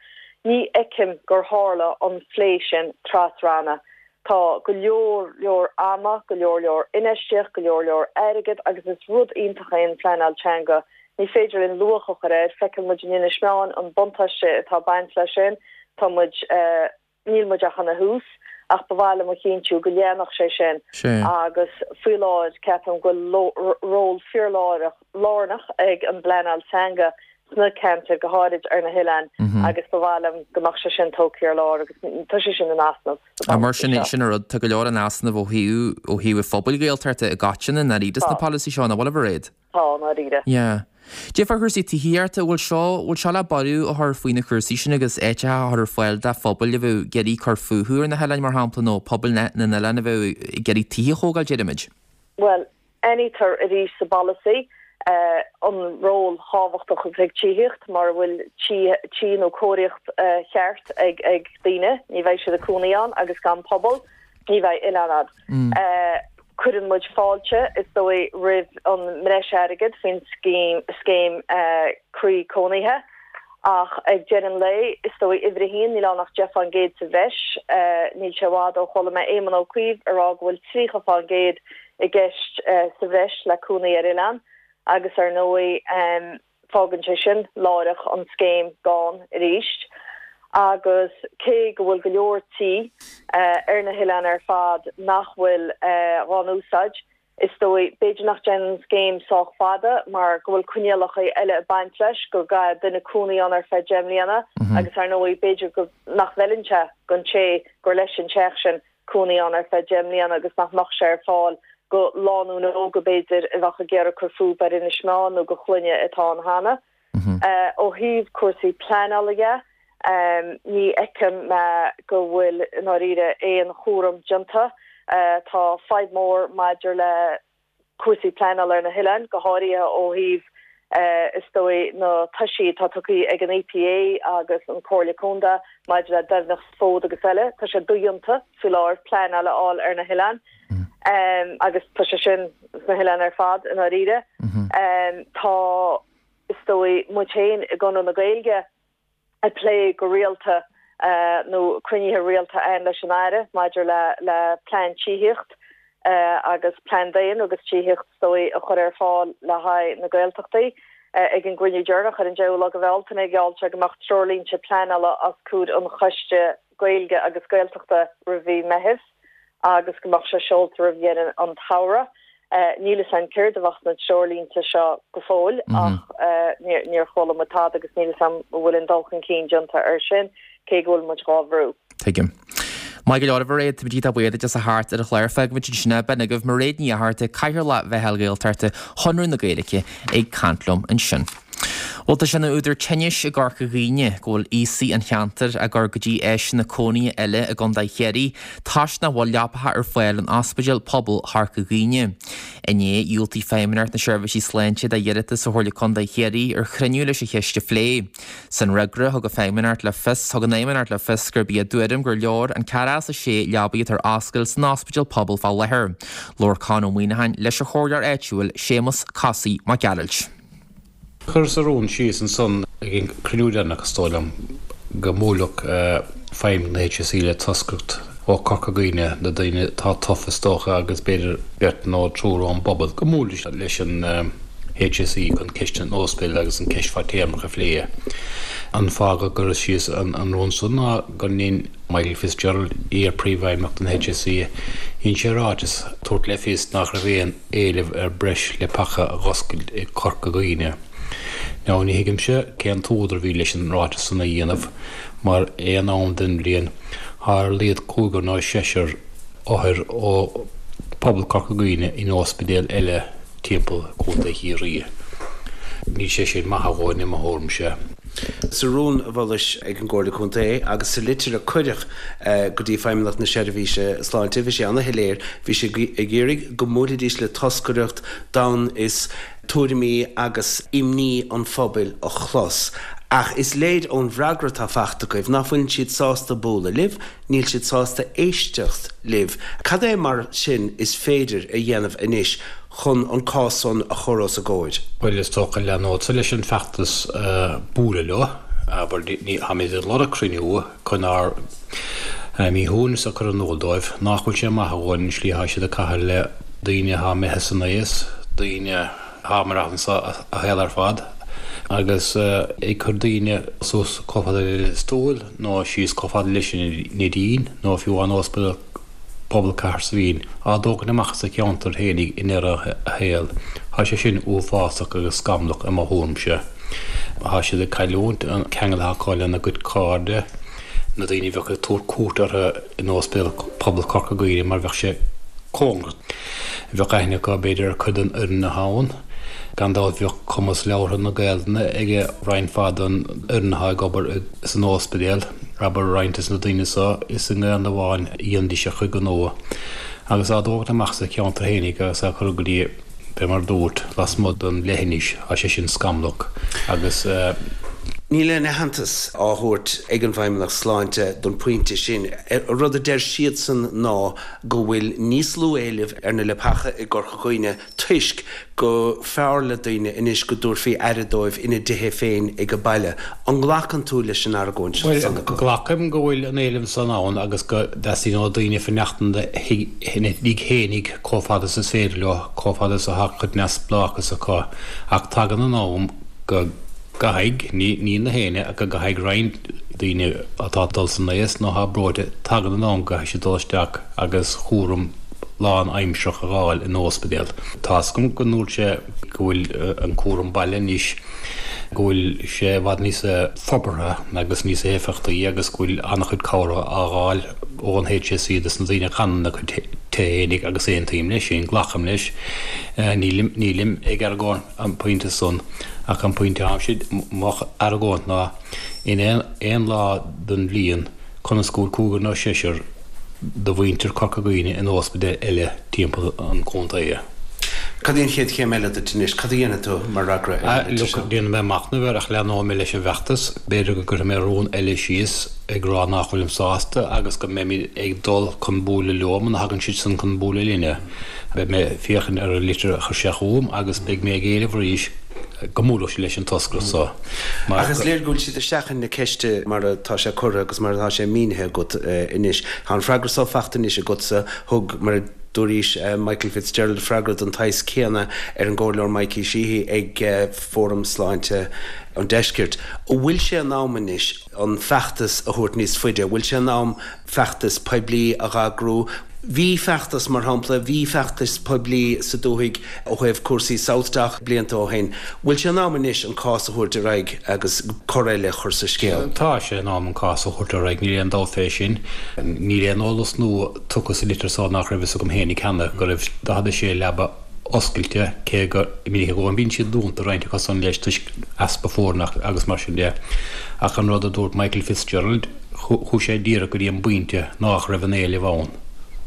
S7: Ní fheicim gur tharla an plé sin tras-ranna. Tá go leor leor ama, go leor leor infheistíocht, go leor leor airgead agus is rud iontach é an phleanáil teanga. Ní féidir linn luach a chur air, feiceann muid in Inis Meáin an buntáiste atá ag baint leis sin, tá muid níl muid ach ina thús ach ba mhaith liom a chinntiú go leanfadh sé sin agus faoi láthair ceapaim go bhfuil ról fíorlárnach lárnach ag an bpleanáil teanga sna ceantair go háirid ar na hoileáin agus ba mhaith liom go mbeadh sé sin tógtha ar lár agus tá sé sin in easnamh.
S1: Mar sin sin an rud tá go leor in easnamh ó thaobh ó thaobh an phobail Ghaeltachta i gcoitinne i ndáiríre sna polasaí seo nach bhfuil a Mhairéad.
S7: Tá i ndáiríre.
S1: Yeah. Cad é fá chúrsaí tithíochta bhfuil seo bhfuil seo le borradh a chur faoi na cúrsaí sin agus áiteacha a chur ar fáil do phobail a bheadh ag iarraidh cur fúthu ar na hoileáin mar shampla nó pobail na n-oileán a bheadh ag iarraidh tithe a thógáil deirimid.
S7: Well, aithnítear arís sa bpolasaí an ról thábhachtach atá ag tithíocht mar a bhfuil tí nó cóiríocht cheart ag ag daoine, ní bheidh siad ag cónaí ann agus gan pobal, ní bheidh oileán ann. Cuireann muid fáilte is dóigh roimh an mbreis airgid faoin scéim scéim croí cónaithe ach ag deireadh an lae is dóigh uimhir a haon níl ann ach deich faoin gcéad sa bhreis. Níl sé i bhfad ó chuala mé Éamon Ó Cuív ag rá go bhfuil tríocha faoin gcéad i gceist sa bhreis le cónaí ar oileán agus ar ndóigh fágann sé sin láithreach an scéim gann arís. Agus cé go bhfuil go leor tí ar na hoileáin ar fad nach bhfuil dhá n-úsáid, is dóigh b'fhéidir nach dtéann an scéim sách fada mar go bhfuil coinníollacha eile ag baint leis, go gcaithfidh duine cónaí ann ar feadh deich mbliana agus ar ndóigh b'fhéidir go nach bhfeileann sé don té gur leis an teach sin cónaí ann ar feadh deich mbliana agus nach mbeadh sé ar fáil go lánúin óga b'fhéidir a bheadh ag iarraidh cur fúthu ar Inis Meáin nó go clainne atá ann cheana. Ó thaobh cúrsaí pleanála dhe, ní fheicim go bhfuil i ndáiríre aon chúram déanta. Tá fadhb mhór maidir le cúrsaí pleanála ar na hoileáin, go háirithe ó thaobh Is dóigh na toisí atá tugtha ag an EPA agus an Comhairle Contae maidir le doimhneacht fód agus eile, tá sé dodhéanta faoi láthair pleanáil a fháil ar na hoileáin agus tá sé sin sna hoileáin ar fad i ndáiríre. Tá is dóigh muid féin i gConradh na Gaeilge ag plé go rialta nó cruinnithe rialta ann leis an Aire maidir le le plean tithíocht agus plean daon agus tithíocht is dóigh a chur ar fáil le haghaidh na Gaeltachtaí. Ag an gcruinniú deireanach ar an deichiú lá de Bhealtaine gheall sé go mbeadh treoirlínte pleanála os comhair an Choiste Gaeilge agus Gaeltachta roimh mhí Meithimh agus go mbeadh sé seolta roimh dheireadh an tsamhraidh. Níl fhios a'm céard a bheadh sna treoirlínte seo go fóill ach níor chuala muid tada agus níl fhios a'm an bhfuil aon dul chun cinn déanta air sin, cé go bhfuil muid dhá bhrú.
S1: Tuigim. Maith go leor a Mhairéad, táimid iontach buíoch duit as a theacht ar an chlár. Fágfaimid ansin é. B'in agaibh Mairéad Ní Fhatharta, Cathaoirleach Mheitheal Ghaeltachta Chonradh na Gaeilge ag caint liom ansin. Bhuel tá sé ina údar tinnis i gCorca Dhuibhne go bhfuil aosaigh an cheantair á gcur go dtí áiseanna cónaithe eile i gContae Chiarraí toisc nach bhfuil leapacha ar fáil in Ospidéal Pobail Chorca Dhuibhne. Inné, dhiúltaigh Feidhmeannacht na Seirbhísí Sláinte do iarratas ó Chomhairle Contae Chiarraí ar chruinniú leis an cheist a phlé. San fhreagra, thug an Feidhmeannacht le fios thug an Fheidhmeannacht le fios gurb í a dtuairim gur leor an ceathracha is a sé leabaidh atá ar oscailt san Ospidéal Pobail fá láthair. Labhair Con Ó Muíneacháin leis an chomhairleoir áitiúil Séamus Cosaí Mac Gearailt.
S8: Chuireas rún síos ansan ag an cruinniú deireanach, is dóigh liom, go mbuailfeadh feidhmeannacht na HSE le toscaireacht ó Chorca Dhuibhne, na daoine atá tofa is dócha agus b'fhéidir beirt nó triúr ón bpobal, go mbuailfidís leis an HSE chun ceist an ospidéil agus an ceist fadtéarmach a phlé. An fáth go gcuireas síos an rún san ná go ndein Michael Fitzgerald, iar-phríomhfheidhmeannach den HSE, dhein sé ráiteas ag tabhairt le fios nach raibh aon éileamh ar breis leapacha a dh'oscailt i Corca Dhuibhne. Now ní thuigimse cén t-údar a bhí leis an ráiteas san a dhéanamh mar aon am den bhliain thá ar a laghad cúigear nó seisear othair ó phobal Corca Dhuibhne in ospidéal eile timpeall Contae Chiarraí. Níl sé sin maith a dhóthain i mo thuairimse.
S9: Sa rún a mholais ag an gComhairle Contae agus sa litir a cuireadh go dtí Feidhmeannacht na Seirbhíse Sláinte, bhí sé ana-shoiléir, bhí sé ag iarraidh go mbuailfidís le toscaireacht d'fhonn is tuairimí agus imní an phobail a chlos. Ach is léir ón bhfreagra atá faighte agaibh nach bhfuileann siad sásta bualadh libh, níl siad sásta éisteacht libh. Cad é mar sin is féidir a dhéanamh anois chun an cás san a chur os a gcomhair?
S8: Bhuel, is dócha leanfadsa leis an bhfeachtas bualadh leo, abair, ní, táimid ag lorg cruinniú chun ár míshuaimhneas a chur in iúl dóibh, nach bhfuil sé maith a dhóthain an slí atá siad ag caitheamh le daoine atá imithe san aois, daoine atá ag maireachtaint a saol ar fad, agus ag cur daoine suas chomh fada le Lios Tuathail nó síos chomh fada leis an Neidín nó fiú amháin Ospidéal Pobail Cathair Saidhbhín, á dtógaint amach as a cheantar fhéinig i ndeireadh a shaoil. Tá sé sin uafásach agus scamallach i mo thuairimse. Tá siad ag cailliúint an ceangal atá acu lena gcuid cairde, na daoine a bheadh ag tabhairt cuairt orthu in Ospidéal Pobail Chorca Dhuibhne mar bheadh sé cóngarach. Bheadh aithne acu b'fhéidir ar chuid den fhoireann atá ann. Gan dabht bheadh cumas labhartha na Gaelainne ag roinnt mhaith den fhoireann atá ag obair san ospidéal, abair roinnt des na daoine so is i nGaelainn amháin a dhéanfaidís a chuid gnó. Agus á dtógaint amach as a cheantar fhéinig agus á cur go dtí, fé mar dúrt, lasmuigh den leithinis, tá sé sin scamallach agus.
S9: Níl aon aitheantas á thabhairt ag an bhFeidhmeannacht Sláinte don phointe sin. Rud a deir siadsan ná go bhfuil níos lú éilimh ar na leapacha i gCorca Dhuibhne toisc go fearr le daoine anois go dtabharfaí aire dóibh ina dtithe féin ag baile. An nglacann tú leis an argóint
S8: Bhuel,
S9: san acu?
S8: glacaim go bhfuil an éileamh san ann agus go dteastaíonn ó daoine fanacht ina dtigh fhéinig chomh fada is is féidir leo, chomh fada is atá cuid neamhspleáchas acu. Ach tagann an am go gcaithfidh, ní ní na héinne, ach go gcaithfidh roinnt daoine atá ag dul san aois nó atá breoite, tagann an am go gcaithfidh siad dul isteach agus cúram lánaimsearach a fháil in ospidéal. Tá's agam go ndúirt sé go bhfuil an cúram baile anois, go bhfuil sé i bhfad níos forbartha agus níos éifeachtaí agus go bhfuil an-chuid cabhrach á fháil ón HSE dos na daoine a fhanann ina gcuid tithe fhéinig agus aontaím leis sin, glacaim leis. Nílim, nílim ag argóint an pointe san ach an pointe atáimse, mo argóint ná in aon, aon lá den bhliain conas go bhfuil cúigear nó seisear de mhuintir Chorca Dhuibhne in ospidéil eile timpeall an chontae.
S9: Cad í an chéad chéim eile duit anois? Cad a dhéanfaidh tú mar fhreagra ar an litir seo?
S8: Déanfaidh mé machnamh air ach leanóidh mé leis an bhfeachtas. B'fhéidir go gcuirfidh mé rún eile síos ag rá nach bhfuilim sásta agus go mbeimid ag dul chun bualadh leo muna thagann siadsan chun bualadh linne. Beidh mé ag féachaint ar an litir a chuir sé chugam agus beidh mé ag éileamh arís go mbuailfeadh siad leis an toscaireacht seo mar
S9: Ach is léir go bhfuil siad ag seachaint na ceiste mar atá sé curtha agus mar atá sé mínithe agat anois. Tá an freagra so faighte anois agatsa. Thug, mar a dúraís, Michael Fitzgerald freagra den tsaghas céanna ar an gComhairleoir Mikey Sheehy ag Fóram Sláinte an Deiscirt. An bhfuil sé in am anois an feachtas a thabhairt níos faide? An bhfuil sé in am feachtas poiblí a dh'eagrú? Bhí feachtas, mar shampla, bhí feachtas poiblí sa dúthaigh ó thaobh cúrsaí SouthDoc blianta ó shin. Bhfuil sé in am anois an cás a thabhairt ar aghaidh agus cor eile a chur sa scéal?
S8: Tá sé in am an cás a thabhairt ar aghaidh, níl aon dabht fé sin. Níl aon eolas nua tugtha sa litir so nach raibh fhios agam fhéinig cheana, go raibh daichead a sé leaba oscailte, cé go minic go mbíonn siad dúnta roinnt acu san leis toisc easpa foirne agus mar sin de. Ach an rud a dúirt Michael Fitzgerald, chuaigh sé díreach go dtí an bpointe nách raibh an éileamh ann.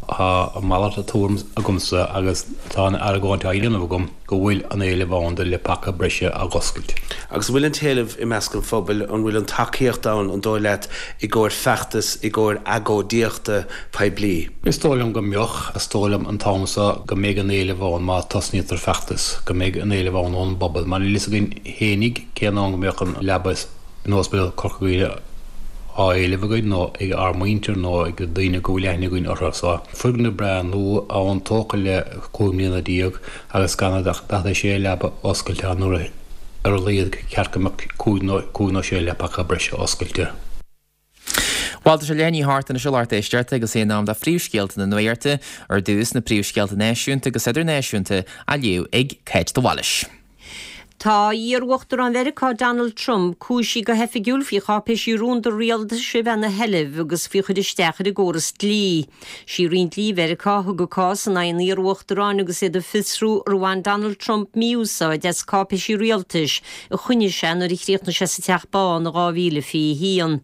S8: Tá a mhalairt tuairim agamsa agus tá an argóint á dhéanamh agam go bhfuil an éileamh ann do leapacha breise a dh'oscailt.
S9: Agus an bhfuil an t-éileamh i measc an phobail, an bhfuil an tacaíocht ann, an dóigh leat, i gcomhair feachtas, i gcomhair agóidíochta poiblí?
S8: Is dóigh liom go mbeadh. Is dóigh liom an t-am so go mbeidh an éileamh ann má tosnaítear feachtas, go mbeidh an éileamh ann ón bpobal. Mar níl fhios againn fhéinig cén am go mbeadh an leaba in Ospidéal Chorca Dhuibhne á éileamh againn nó ag ár muintir nó ag daoine go bhfuil aithne againn orthu. So, foirgneamh breá nua ann tógtha le cúig mbliana déag agus gan ach daichead a sé leaba oscailte ann nuair ar a laghad ceart go mbeadh cúig nó cúig nó sé leapacha breise oscailte.
S1: Bhuel, tá sé leath i ndiaidh a hocht anois a lucht éisteachta agus é in am do phríomhscéalta na nuachta, ar dtús na príomhscéalta náisiúnta agus idirnáisiúnta á léamh ag Cáit de Bhailís.
S2: Tá iar-Uachtarán Mheiriceá Donald Trump cúisithe go hoifigiúil faoi cháipéisí rúnda rialtais a bheith ina sheilbh agus faoi chur isteach ar an gcóras dlí. Sí Roinn Dlí Mheiriceá a thug an cás in aghaidh an iar-uachtaráin agus iad ag fiosrú ar bhain Donald Trump mí-úsáid as cáipéisí rialtais a choinnigh sé nuair a chríochnaigh sé sa Teach Bán in dhá mhíle fiche a haon.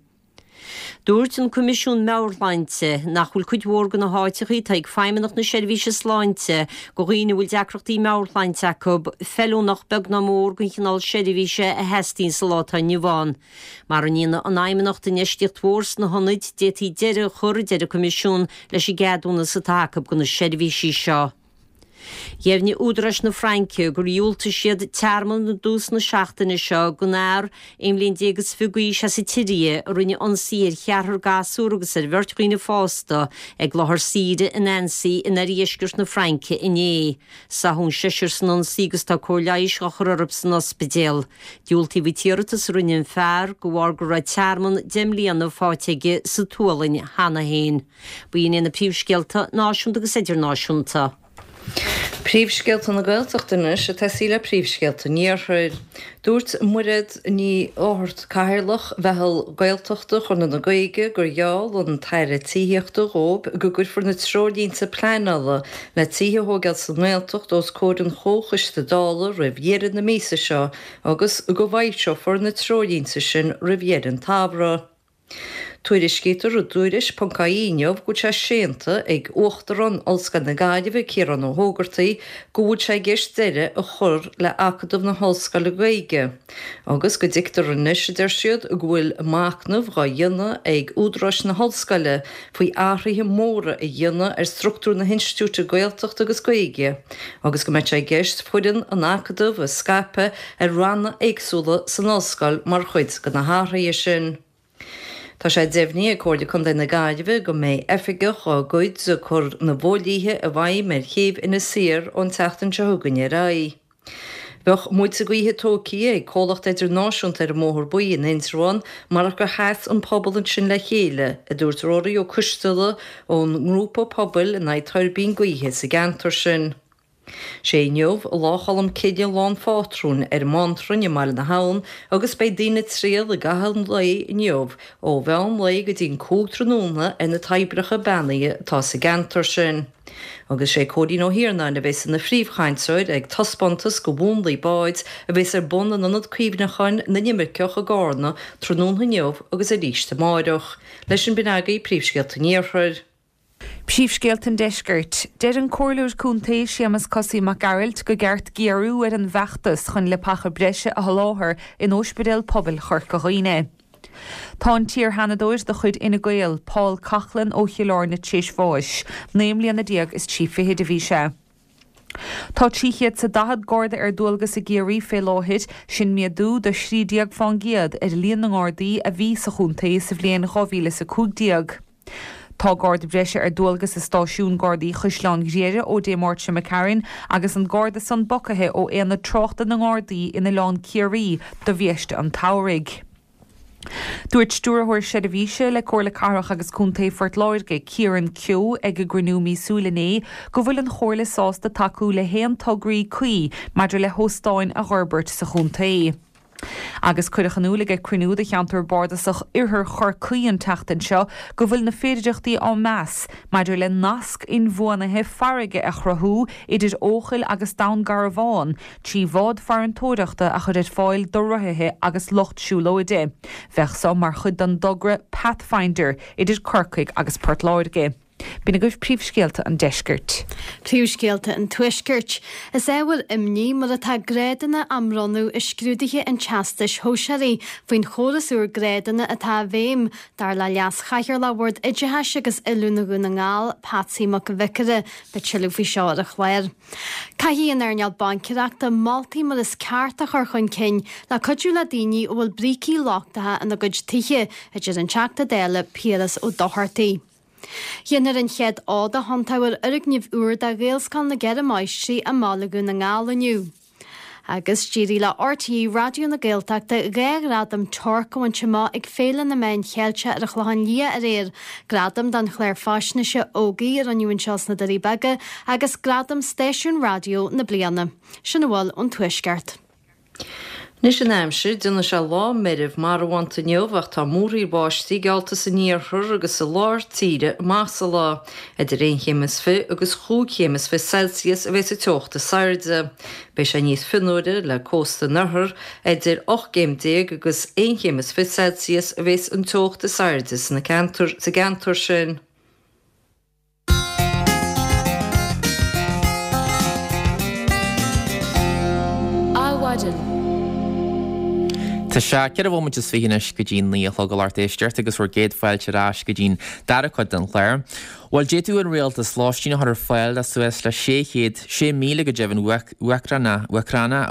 S2: Dúirt an Coimisiún Meabhair-Shláinte nach bhfuil cuid mhór de na háiteacha atá ag Feidhmeannacht na Seirbhíse Sláinte do dhaoine a bhfuil deacrachtaí meabhairshláinte acu feiliúnach beag ná mór don chineál seirbhíse a theastaíonn sa lá atá inniu ann. Mara ndéana an Fheidhmeannacht infheistíocht mhór sna hionaid, d'fhéadfaí deireadh a chur, a deir an Coimisiún, leis an gceadúnas atá acu do na seirbhísí seo. Dheimhnigh údaráis na Fraince gur dhiúltaigh siad tearmann i dtús na seachtaine seo don fhear aon bhliain déag is fiche d'aois as an tSiria a rinne ionsaí ar cheathrar gasúr agus ar bheirt dhaoine fásta ag láthair saoire in Annecy in oirdheisceart na Fraince inné. Sáthadh an seisear san ionsaí agus tá cóir leighis á chur orthu san ospidéal. Diúltaíodh an t-iarratas a rinne an fear de bharr go raibh tearmann deich mbliana faighte aige sa tSualainn cheana féin. B'in iad na príomhscéalta náisiúnta agus idirnáisiúnta.
S3: Príomhscéalta na Gaeltachta anois ag tosaí le príomhscéalta an Iarthair. Dúirt Mairéad Ní Fhátharta, Cathaoirleach Mheitheal Gaeltachta Chonradh na Gaeilge, gur gheall an tAire Tithíochta dhóibh go gcuirfear na treoirlínte pleanála le tithe a thógáil sa nGaeltacht os comhair an Chomhchoiste Dála roimh dheireadh na míosa seo agus go bhfoilseofar na treoirlínte sin roimh dheireadh an tsamhraidh. Tuairiscítear i dTuairisc ponc ie inniu go bhfuil sé séanta ag Uachtarán Ollscoil na Gaillimhe, Ciarán Ó hÓgartaigh, go bhfuil sé i gceist deireadh a chur le Acadamh na hOllscoile Gaeilge agus go dtuigtear anois, a deir siad, go bhfuil machnamh dhá dhéanamh ag údaráis na hollscoile faoi athruithe móra a dhéanamh ar struchtúr na hinstitiúide Gaeltachta agus Gaeilge agus go mbeidh sé i gceist foireann an Acadaimh a scaipeadh ar ranna éagsúla san ollscoil mar chuid de na hathruithe sin. Tá sé deimhnithe ag Comhairle Contae na Gaillimhe go mbeidh oifigeach dá gcuid ag cur na bhfodhlíthe i bhfeidhm ar chéibh Inis Oírr ón tseachtain seo chugainn ar aghaidh. Bheadh muilte gaoithe tógtha ag comhlacht idirnáisiúnta ar an mBóthar Buí in Indreabhán marach gur sheas an pobal ansin le chéile, a dúirt Ruairí Ó Coisteala ón ngrúpa pobail in aghaidh tuirbín gaoithe sa gceantar sin. Sé inniu Lá Cholm Cille lá an phátrúin ar an mBántrainn i mBaile na hAbhann agus beidh daoine ag triall i gcaitheamh an lae inniu ó mheán lae go dtí an cúig tráthnóna ar na toibreacha beannaithe atá sa gceantar sin. Agus sé Cóilín Ó hIarnáin a bheas ina phríomhchainteoir ag taispeántas de mhúnlaí báid a bheas ar bun in Ionad Cuimhneacháin na nImirceach i gCarna tráthnóna inniu agus arís amáireach. Leis sin b'in agaibh príomhscéalta an Iarthair.
S4: Príomhscéalta an Deiscirt. Deir an Comhairleoir Contae Séamus Cosaí Mac Gearailt go gceart géarú ar an bhfeachtas chun leapacha breise a sholáthar in Ospidéal Pobail Chorca Dhuibhne. Tá an t-iarsheanadóir de chuid Fhine Gael, Paul Coughlan ó Chill Airne tar éis bháis. Naoi mbliana déag is trí fichid a bhí sé. Tá trí chéad 's a daichead Garda ar dualgas i gCiarraí fé láthair, sin méadú de thrí déag fán gcéad ar líon na nGardaí a bhí sa chontae sa bhliain dhá mhíle is a cúig déag. Tá Garda breise ar dualgas i stáisiún Gardaí Chaisleán Ghriaire ó Dé Máirt seo imigh tharainn agus an Garda san bogtha ó Aonad Tráchta na nGardaí in Oileán Ciarraí do bhiaiste an tsamhraidh. Dúirt Stiúrthóir Seirbhíse le Comhairle Cathrach agus Contae Phort Láirge, Kieran Keogh ag a gcruinniú míosúil inné go bhfuil an Chomhairle sásta tacú le haon tograí cuí maidir le hóstáin a fhorbairt sa chontae. Agus cuireadh in iúl ag cruinniú de cheantar bardasach Oirthear Chorcaí an tseachtain seo go bhfuil na féidearthachtaí á meas maidir le nasc inbhuanaithe farraige a chruthú idir Eochaill agus Dún Garbhán trí bhád farantóireachta a chur ar fáil do rothaithe agus lucht siúlóide. Bheadh seo mar chuid den dtogra Pathfinder idir Corcaigh agus Port Láirge. B'in agaibh príomhscéalta an deiscirt.
S5: Príomhscéalta an tuaiscirt. Is ábhar imní mar atá grádanna á mbronnadh i scrúduithe an Teastais Shóisearaigh faoin chóras úr grádanna atá i bhfeidhm, dar le Leas-Chathaoirleach Bhord Oideachais agus Oiliúna Dhún na nGall, Patsy Mac an Bhiocaire. Beidh tuilleadh faoi seo ar an chlár. Caithfidh an earnáil baincéireachta moltaí mar is ceart a chur chun cinn le cuidiú le daoine a bhfuil brící lochtacha ina gcuid tithe, a deir an Teachta Dála Piaras Ó Dochartaigh. Déanfar an chéad fhód a thiontú ar fhoirgneamh úr de Ghaelscoil na gCeithre Máistrí i mBaile Dhún na nGall inniu. Agus d'éirigh le RTÉ Raidió na Gaeltachta dhá ghradam TORC a bhaint amach ag Féile na Meán Cheilteach ar an Chlochán Liath aréir, gradam don chlár faisnéise Ógaigh a rinneadh anseo sna Doirí Beaga agus gradam Stáisiún Raidió na Bliana. Sin a bhfuil ón Tuaisceart.
S3: Anois an aimsir, déanfaidh sé lá meirbh marbhánta inniu ach tá múraíl báistí geallta san iarthar agus sa lár tíre amach sa lá. Idir aon chéim is fiche agus chúig chéim is fiche Celsius a bheas an teocht is airde. Beidh sé níos fionnuaire le cósta an oirthir, idir ocht gcéim déag agus aon chéim is fiche Celsius a bheas an teocht is airde sna sa gceantar sin.
S1: Adhmhaidin. Tá sé ceithre bhomaite is fiche anois go dtí naoi a chlog a lucht éisteachta agus bhur gcéad fáilte ar ais go dtí'n dara cuid den chlár. Bhuel, d'fhéadfadh an rialtas lóistín a chur ar fáil le suas le sé chéad, sé míle go deimhin, Úcránach i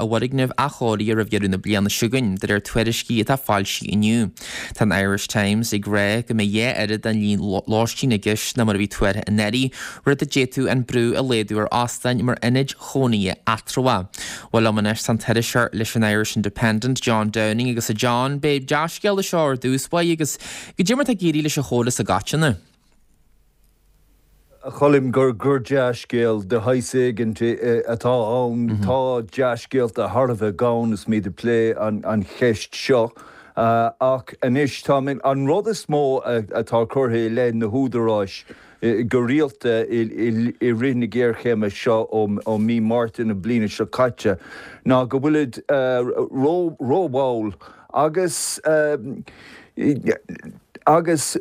S1: bhfoirgnimh athchóirithe roimh dheireadh na bliana seo chugainn, de réir tuairiscí atá foilsithe inniu. Tá an Irish Times ag rá go mbeidh dhá oiread den líon lóistín i gceist ná mar a bhí tuartha anuraidh, rud a d'fhéadfadh an brú a laghdú ar óstáin mar ionaid chónaithe eatramhacha. Bhuel liom anois tá an t-iriseoir leis an Irish Independent, John Downing, agus a John, b'é dea-scéal é seo ar dtús báire agus goidé mar atá ag éirí leis an chóras i gcoitinne.
S10: A Choilm, gur gur dea-scéal de shaghas éigin atá ann. Tá dea-scéalta thar a bheith gann is muid ag plé an cheist seo. Ach anois tá an rud is mó atá curtha i leith na húdaráis go rialta i rith na géarchéime seo ó mí Márta na bliana seo caite ná go bhfuilid rómhall agus agus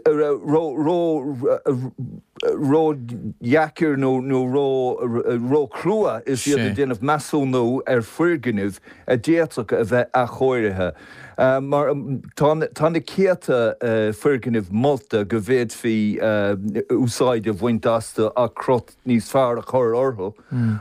S10: ródheacair nó róchrua is iad ag déanamh measúnú ar foirgnimh a d'fhéadfadh a bheith athchóirithe. Mar tá na céadta foirgneamh molta go bhféadfaí úsáid a bhaint astu ach crot níos fearr a chur orthu,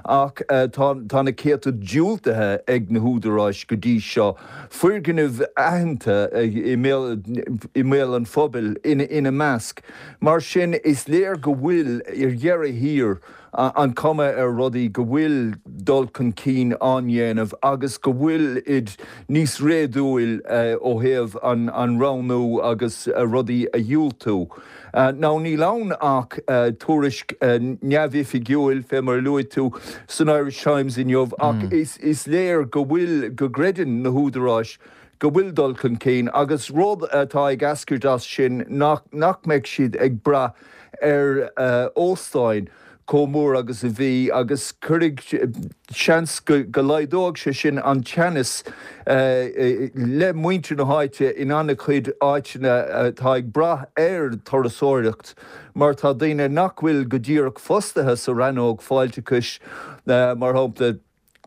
S10: ach tá na céadta diúltaithe ag na húdaráis go dtí seo. Foirgnimh aitheanta i mbéal an phobail ina measc. Mar sin, is léir go bhfuil, ar dheireadh thiar, an chuma ar rudaí go bhfuil dul chun cinn á ndéanamh agus go bhfuilid níos réadúil ó thaobh an roghnú agus rudaí a dhiúltú. Now níl ann ach tuairisc neamhoifigiúil, fé mar a luaigh tú, san Irish Times inniu ach is léir go bhfuil, go gcreideann na húdaráis go bhfuil dul chun cinn agus rud atá ag eascairt as sin nach mbeidh siad ag brath ar óstáin chomh mór agus a bhí agus cuirfidh seans go laghdóidh sé sin an teannas le muintir na háite in an-chuid áiteanna atá ag brath ar turasóireacht mar tá daoine nach bhfuil go díreach fostaithe sa rannóg fáilteachais, mar shampla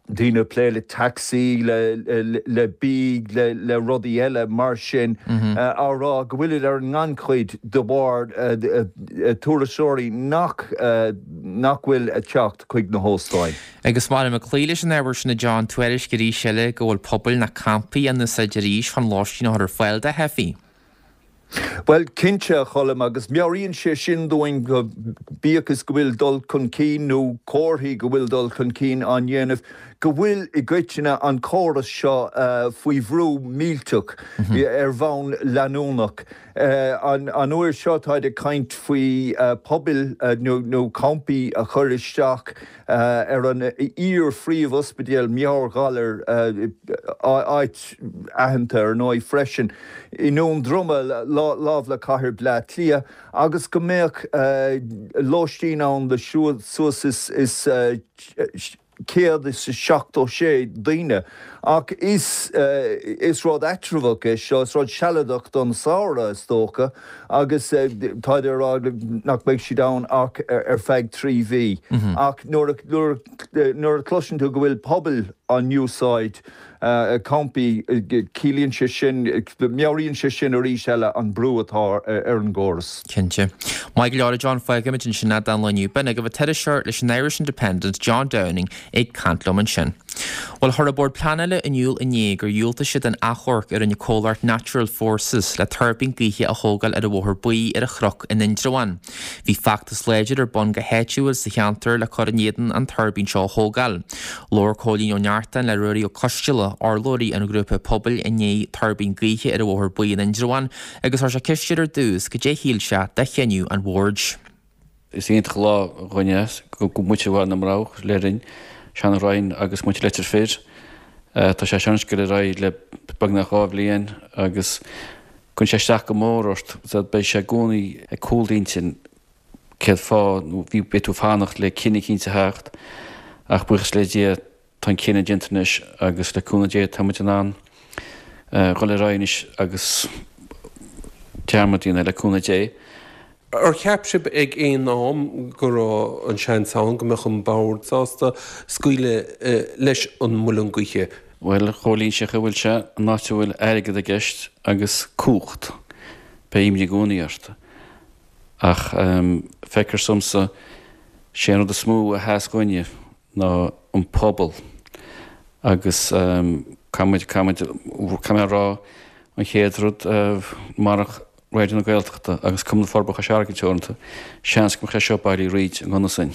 S10: daoine ag plé le tacsaí, le bia, le rudaí eile mar sin, á rá go bhfuilid ar an ngannchuid de bharr turasóirí nach nach bhfuil ag teacht chuig na hóstáin.
S1: Agus maidir ag cloí leis an ábhar sin a John, tuairisc arís eile go bhfuil pubaill nó campaí á n-úsáid arís chun lóistín a chur ar fáil do theifigh.
S10: Bhuel, cinnte, a Choilm, agus meabhraíonn sé sin dúinn go bíodh is go bhfuil dul chun cinn nó comharthaí go bhfuil dul chun cinn á ndéanamh, go bhfuil i gcoitinne an córas seo faoi bhrú millteach ar bhonn leanúnach. An uair seo táid ag caint faoi phubaill nó campaí a chur isteach ar an iar-phríomh-ospidéal meabhairghalair, áit aitheanta ar ndóigh freisin, i nDún Droma, lámh le cathair Bleá Cliath, agus go mbeadh lóistín ann le suas is céad is seachtó sé daoine. Ach is is rud eatramhach é seo, is rud sealadach don samhradh is dócha, agus táid ag rá nach mbeidh siad ann ach ar feadh trí mhí. Ach nuair a nuair a chloiseann tú go bhfuil pubaill á n-úsáid, campaí, ciallaíonn sé sin, meabhraíonn sé sin arís eile an brú atá ar an gcóras.
S1: Cinnte. Maith go leor a John, fágfaimid ansin é don lá inniu. B'in agaibh an t-iriseoir leis an Irish Independent, John Downing, ag caint liom ansin. Bhuel, chuir an Bord Pleanála in iúl inné gur dhiúltaigh siad don achomharc a rinne comhlacht Natural Forces le tuirbín gaoithe a thógáil ar an Bhóthar Buí ar an Chnoc in Indreabhán. Bhí feachtas láidir ar bun go háitiúil sa cheantar le cur in éadan an tuirbín seo a thógáil. Labhair Cóilín Ó Neachtain le Ruairí Ó Coisteala, urlabhraí an ghrúpa pobail i ndiaidh tuirbín gaoithe ar an Bhóthar Buí in Indreabhán agus chuir sé ceist air ar dtús cad é shíl sé de chinneadh an bhoird.
S11: Is iontach an lá dhúinne é, go muintir Bhaile na mBroghach, Lerryn, Seanadh Rinn agus muintir Leitir Fir. Tá sé seo ag dul ar aghaidh le beagnach dhá bhliain agus cuireann sé isteach go mór ort. Beidh sé i gcónaí ag cúl d'intinn céard fáth nó bhí beidh tú ag fanacht le cinneadh eicínt a theacht ach buíochas le Dia tá an cinneadh déanta anois agus le cúnamh Dé tá muid in ann dhul ar aghaidh anois agus dearmad a dhéanamh le cúnamh Dé.
S12: Ar cheap sibh ag aon am go raibh an seans ann go mbeadh an Bord sásta scaoileadh leis an muileann gaoithe?
S11: Bhuel, a Chóilín, sé chaoi a bhfuil sé, an áit a bhfuil airgead i gceist agus cumhacht, beidh imní i gcónaí ort. Ach feictear domsa, sé an rud is mó a sheas dhúinne ná an pobal agus caithfidh muid, caithfidh muid, caithfidh mé a rá, an chéad rud, marach Raidió na Gaeltachta agus Cumann Forbartha Chois Fharraige Teoranta, seans go mbeadh sé seo bailithe fríd an ngunna sin.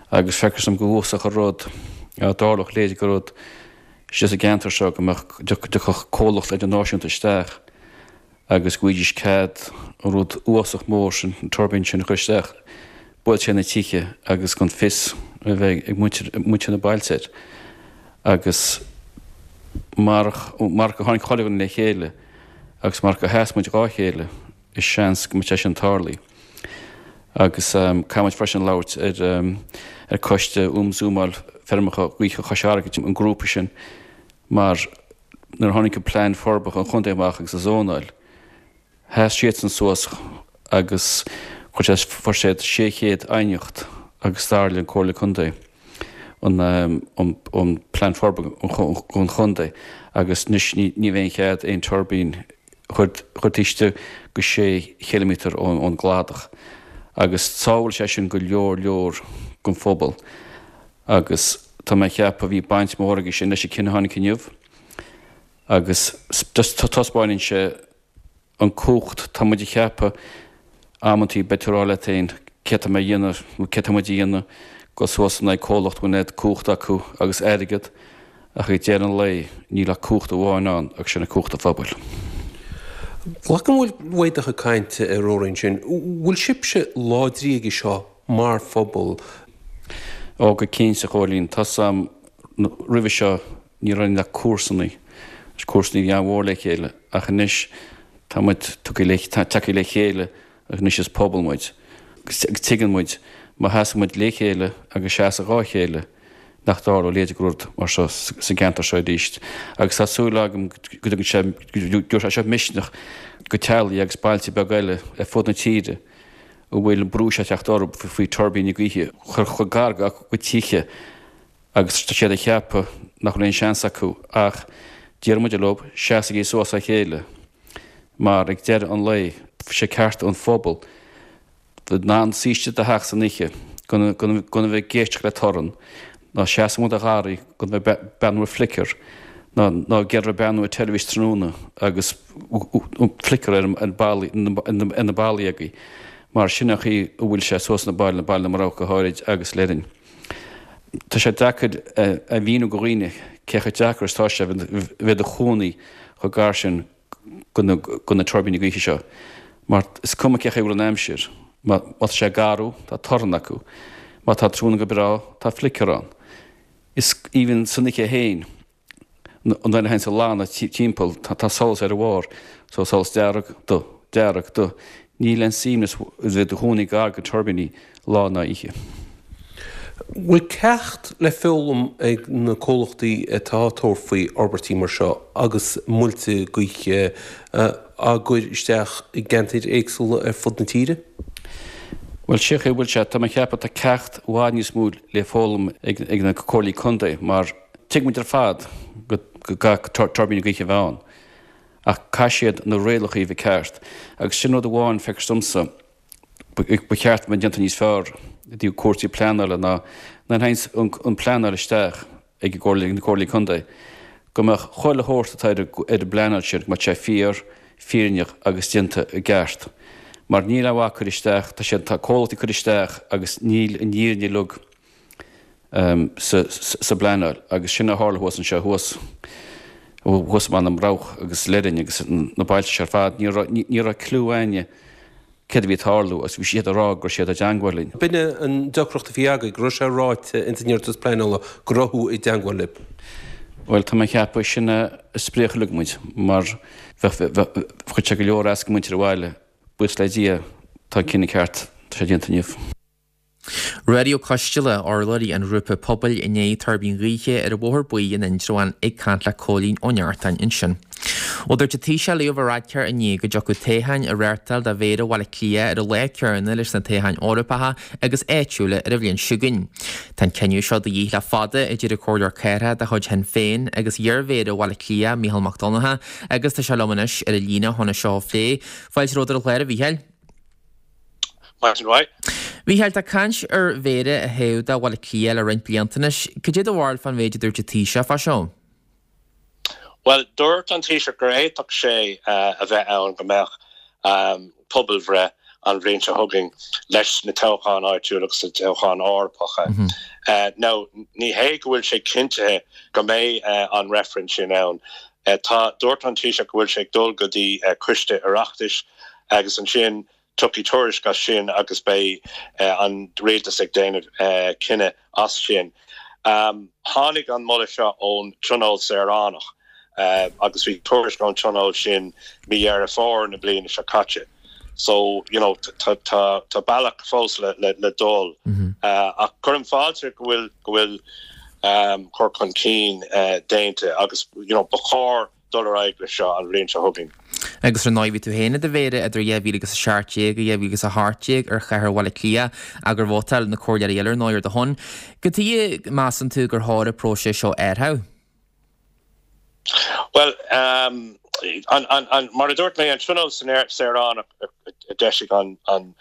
S11: Agus feictear dom gur uafásach an rud dá dtarlódh a leithéid de rud istigh sa gceantar seo, go mbeadh, go dtiocfadh comhlacht idirnáisiúnta isteach agus go bhfaighidís cead an rud uafásach mór sin, an tuirbín sin a chur isteach, buailte ar na tithe agus gan fios a bheith ag muintir, muintir na bailte air. Agus marach, marach gur tháinig chuile dhuine le chéile, Agus marach gur sheas muid dhá chéile, is seans go mbeadh sé sin tarlaithe. Agus caithfidh muid freisin labhairt ar ar Coiste um Zónáil Feirmeacha Gaoithe Chois Fharraige, an grúpa sin, mar nuair a tháinig an plean forbartha an chontae amach agus an zónáil, sheas siadsan suas agus chuir sé fuair siad sé chéad aighneacht agus dar le an Comhairle Contae an an plean forbartha an chontae agus anois ní bheidh aon chead aon tuirbín a chur taobh istigh de sé chiliméadar ón gcladach agus sábhálfaidh sé sin go leor leor den phobal agus tá mé ag ceapadh bhí baint mhór aige sin leis an cinneadh a tháinig inniu agus taispeánann sé an cumhacht, tá muid ag ceapadh amantaí beidh tú ag rá leat féin céard tá mé a dhéanamh nó céard tá muid a dhéanamh dul suas in aghaidh comhlacht a bhfuil an oiread cumhacht acu agus airgead ach ag deireadh an lae níl ach cumhacht amháin ann agus sin cumhacht an phobail.
S12: Glacaim go bhfuil uaidh do chuid cainte a Ruairí ansin, bhfuil sibhse láidrí aige seo mar phobal?
S11: Ó go cinnte a Chóilín, tá 's a'm roimhe seo ní raibh ach comharsanaí, agus comharsanaí a bhí an-mhór le chéile ach anois tá muid tagtha le chéile agus anois is pobal muid agus tuigeann muid má sheasann muid le chéile agus seasamh dhá chéile nach dtarlódh a leithéid de rud mar seo sa gceantar seo arís. Agus tá súil agam go dtugann sé, go dtabharfaidh sé misneach go teaghlaigh agus bailte beaga eile ar fud na tíre a bhfuil an brú seo ag teacht orthu faoi tuirbíní gaoithe a chur chomh gar dá gcuid tithe agus tá siad ag ceapadh nach bhfuil aon seans acu ach deir muid leo, seasaigí suas le chéile mar ag deireadh an lae sé ceart an phobail bheith in ann suí istigh i do theach san oíche gan gan a bheith ag éisteacht le torann ná seasamh amuigh i do gharraí gan bheith ag breathnú ar flicker ná ná ag iarraidh breathnú ar teilifís tráthnóna agus flicker ar ar ballaí ar na ballaí agaibh mar sin an chaoi a bhfuil sé suas na Baile Baile na mBrabhach go háirid agus Leirinn. Tá sé deacair a mhíniú go dhaoine cé chomh deacair is atá sé bheith i do chónaí chomh gar sin go na tuirbíní gaoithe seo mar is cuma cé chaoi a bhfuil an aimsir, má tá sé garbh tá torann acu, má tá tráthnóna go breá tá flicker ann. Is even san oíche féin an duine a théann sa lána timpeall tá solas ar a bharr so solas dearg, dubh, dearg, dubh. Níl aon suaimhneas a bheith i do chónaí gar go tuirbíní lá ná oíche.
S12: Bhfuil ceacht le foghlaim ag na comhlachtaí atá ag tabhairt faoi fhorbairtí mar seo agus muilte gaoithe á gcur isteach i gceantair éagsúla ar fud na tíre?
S11: Bhuel, sé chaoi a bhfuil sé, tá mé ag ceapadh tá ceacht i bhfad níos mó le foghlaim ag na comhairlí contae mar tuigeann muid ar fad go gcaithfidh tuirbíní gaoithe a bheith ann ach caithfidh siad na rialacha a bheith ceart agus sin rud amháin feictear domsa ba cheart a bheith déanta níos fearr i dtaobh cúrsaí pleanála ná nuair a théann an pleanáil isteach ag na comhairlí contae go mbeadh chuile shórt atá ar an bpleanáil sin, go mbeadh sé fíor, fírinneach agus déanta i gceart. Mar níl aon mhaith cur isteach, tá siad, tá comhlachtaí ag cur isteach agus níl an fhírinne uilig sa sa bpleanáil agus sin a tharla thuas anseo thuas, thuas i mBaile na mBrabhach agus Leirinn agus na bailte seo ar fad, ní raibh, ní raibh cliú éinne céard a bhí ag tarlú agus bhí siad ag rá go raibh siad i dteangmháil linn.
S12: B'in é an deacracht a bhí agaibh, go raibh sé ráite ins an iarratas pleanála go raibh tú i dteangmháil libh.
S11: Bhuel, tá mé ag ceapadh sin a spréach uilig muid mar bheadh, bheadh, chuir sé go leor as go muintir an bhaile, buíochas le Dia tá an cinneadh ceart, tá sé déanta inniu.
S1: Ruairí Ó Coisteala, urlabhraí an ghrúpa pobail in aghaidh tuirbín ghaoithe ar an Bhóthar Buí in Indreabhán ag caint le Cóilín Ó Neachtain ansin. Ó dúirt an Taoiseach Leo Varadkar inné go dtiocfadh toghcháin a reáchtáil do Mhéara Bhaile Átha Cliath ar an lá céanna leis na toghcháin Eorpacha agus áitiúla ar an bhliain seo chugainn. Tá an cinneadh seo de dhíth le fada, a deir an Comhairleoir Cathrach de chuid Shinn Féin agus iar-Mhéara Bhaile Átha Cliath, Mícheál Mac Donncha, agus tá sé liom anois ar an líne chun é seo a phlé. Fáilte romhat ar an chlár, a Mhícheáil.
S13: Maidin mhaith.
S1: Mhícheáil, tá caint ar Mhéara a thoghadh do Bhaile Átha Cliath le roinnt blianta anois. Cad é do bharúil fán mhéid a dúirt an Taoiseach fá seo?
S13: Bhuel, dúirt an Taoiseach gur fhéadfadh sé a bheith ann go mbeadh pobalbhreith an bhliain seo chugainn leis na toghcháin áitiúla agus na toghcháin Eorpacha. Now, ní hé go bhfuil sé cinntithe go mbeidh an reifreann sin ann. Tá, dúirt an Taoiseach go bhfuil sé ag dul go dtí coiste Oireachtais agus ansin Tiocfaidh tuairisc as sin agus beidh an rialtas ag déanamh cinneadh as sin. Tháinig an moladh seo ón Tionól Saoránach agus bhí tuairisc ón Tionól sin mí Dheireadh Fómhair na bliana seo caite. So, you know, tá bealach fós le dul. Ach cuirim fáilte go bhfuil go bhfuil cur chun cinn déanta agus, you know, ba chóir dul ar aghaidh leis seo an bhliain seo chugainn.
S1: Agus ar ndóigh bhí tú féin i do mhéara idir dhá mhíle agus a seacht déag agus dhá mhíle agus a hocht déag ar chathair Bhaile Átha Cliath ach gur vótáil na comhairleoirí eile ar ndóigh ar do shon. Cad chuige measann tú gur chóir an próiseas seo a athrú?
S13: Bhuel, an, an, an, mar a dúirt mé, an Tionól Saoránach a d'eisigh an, an,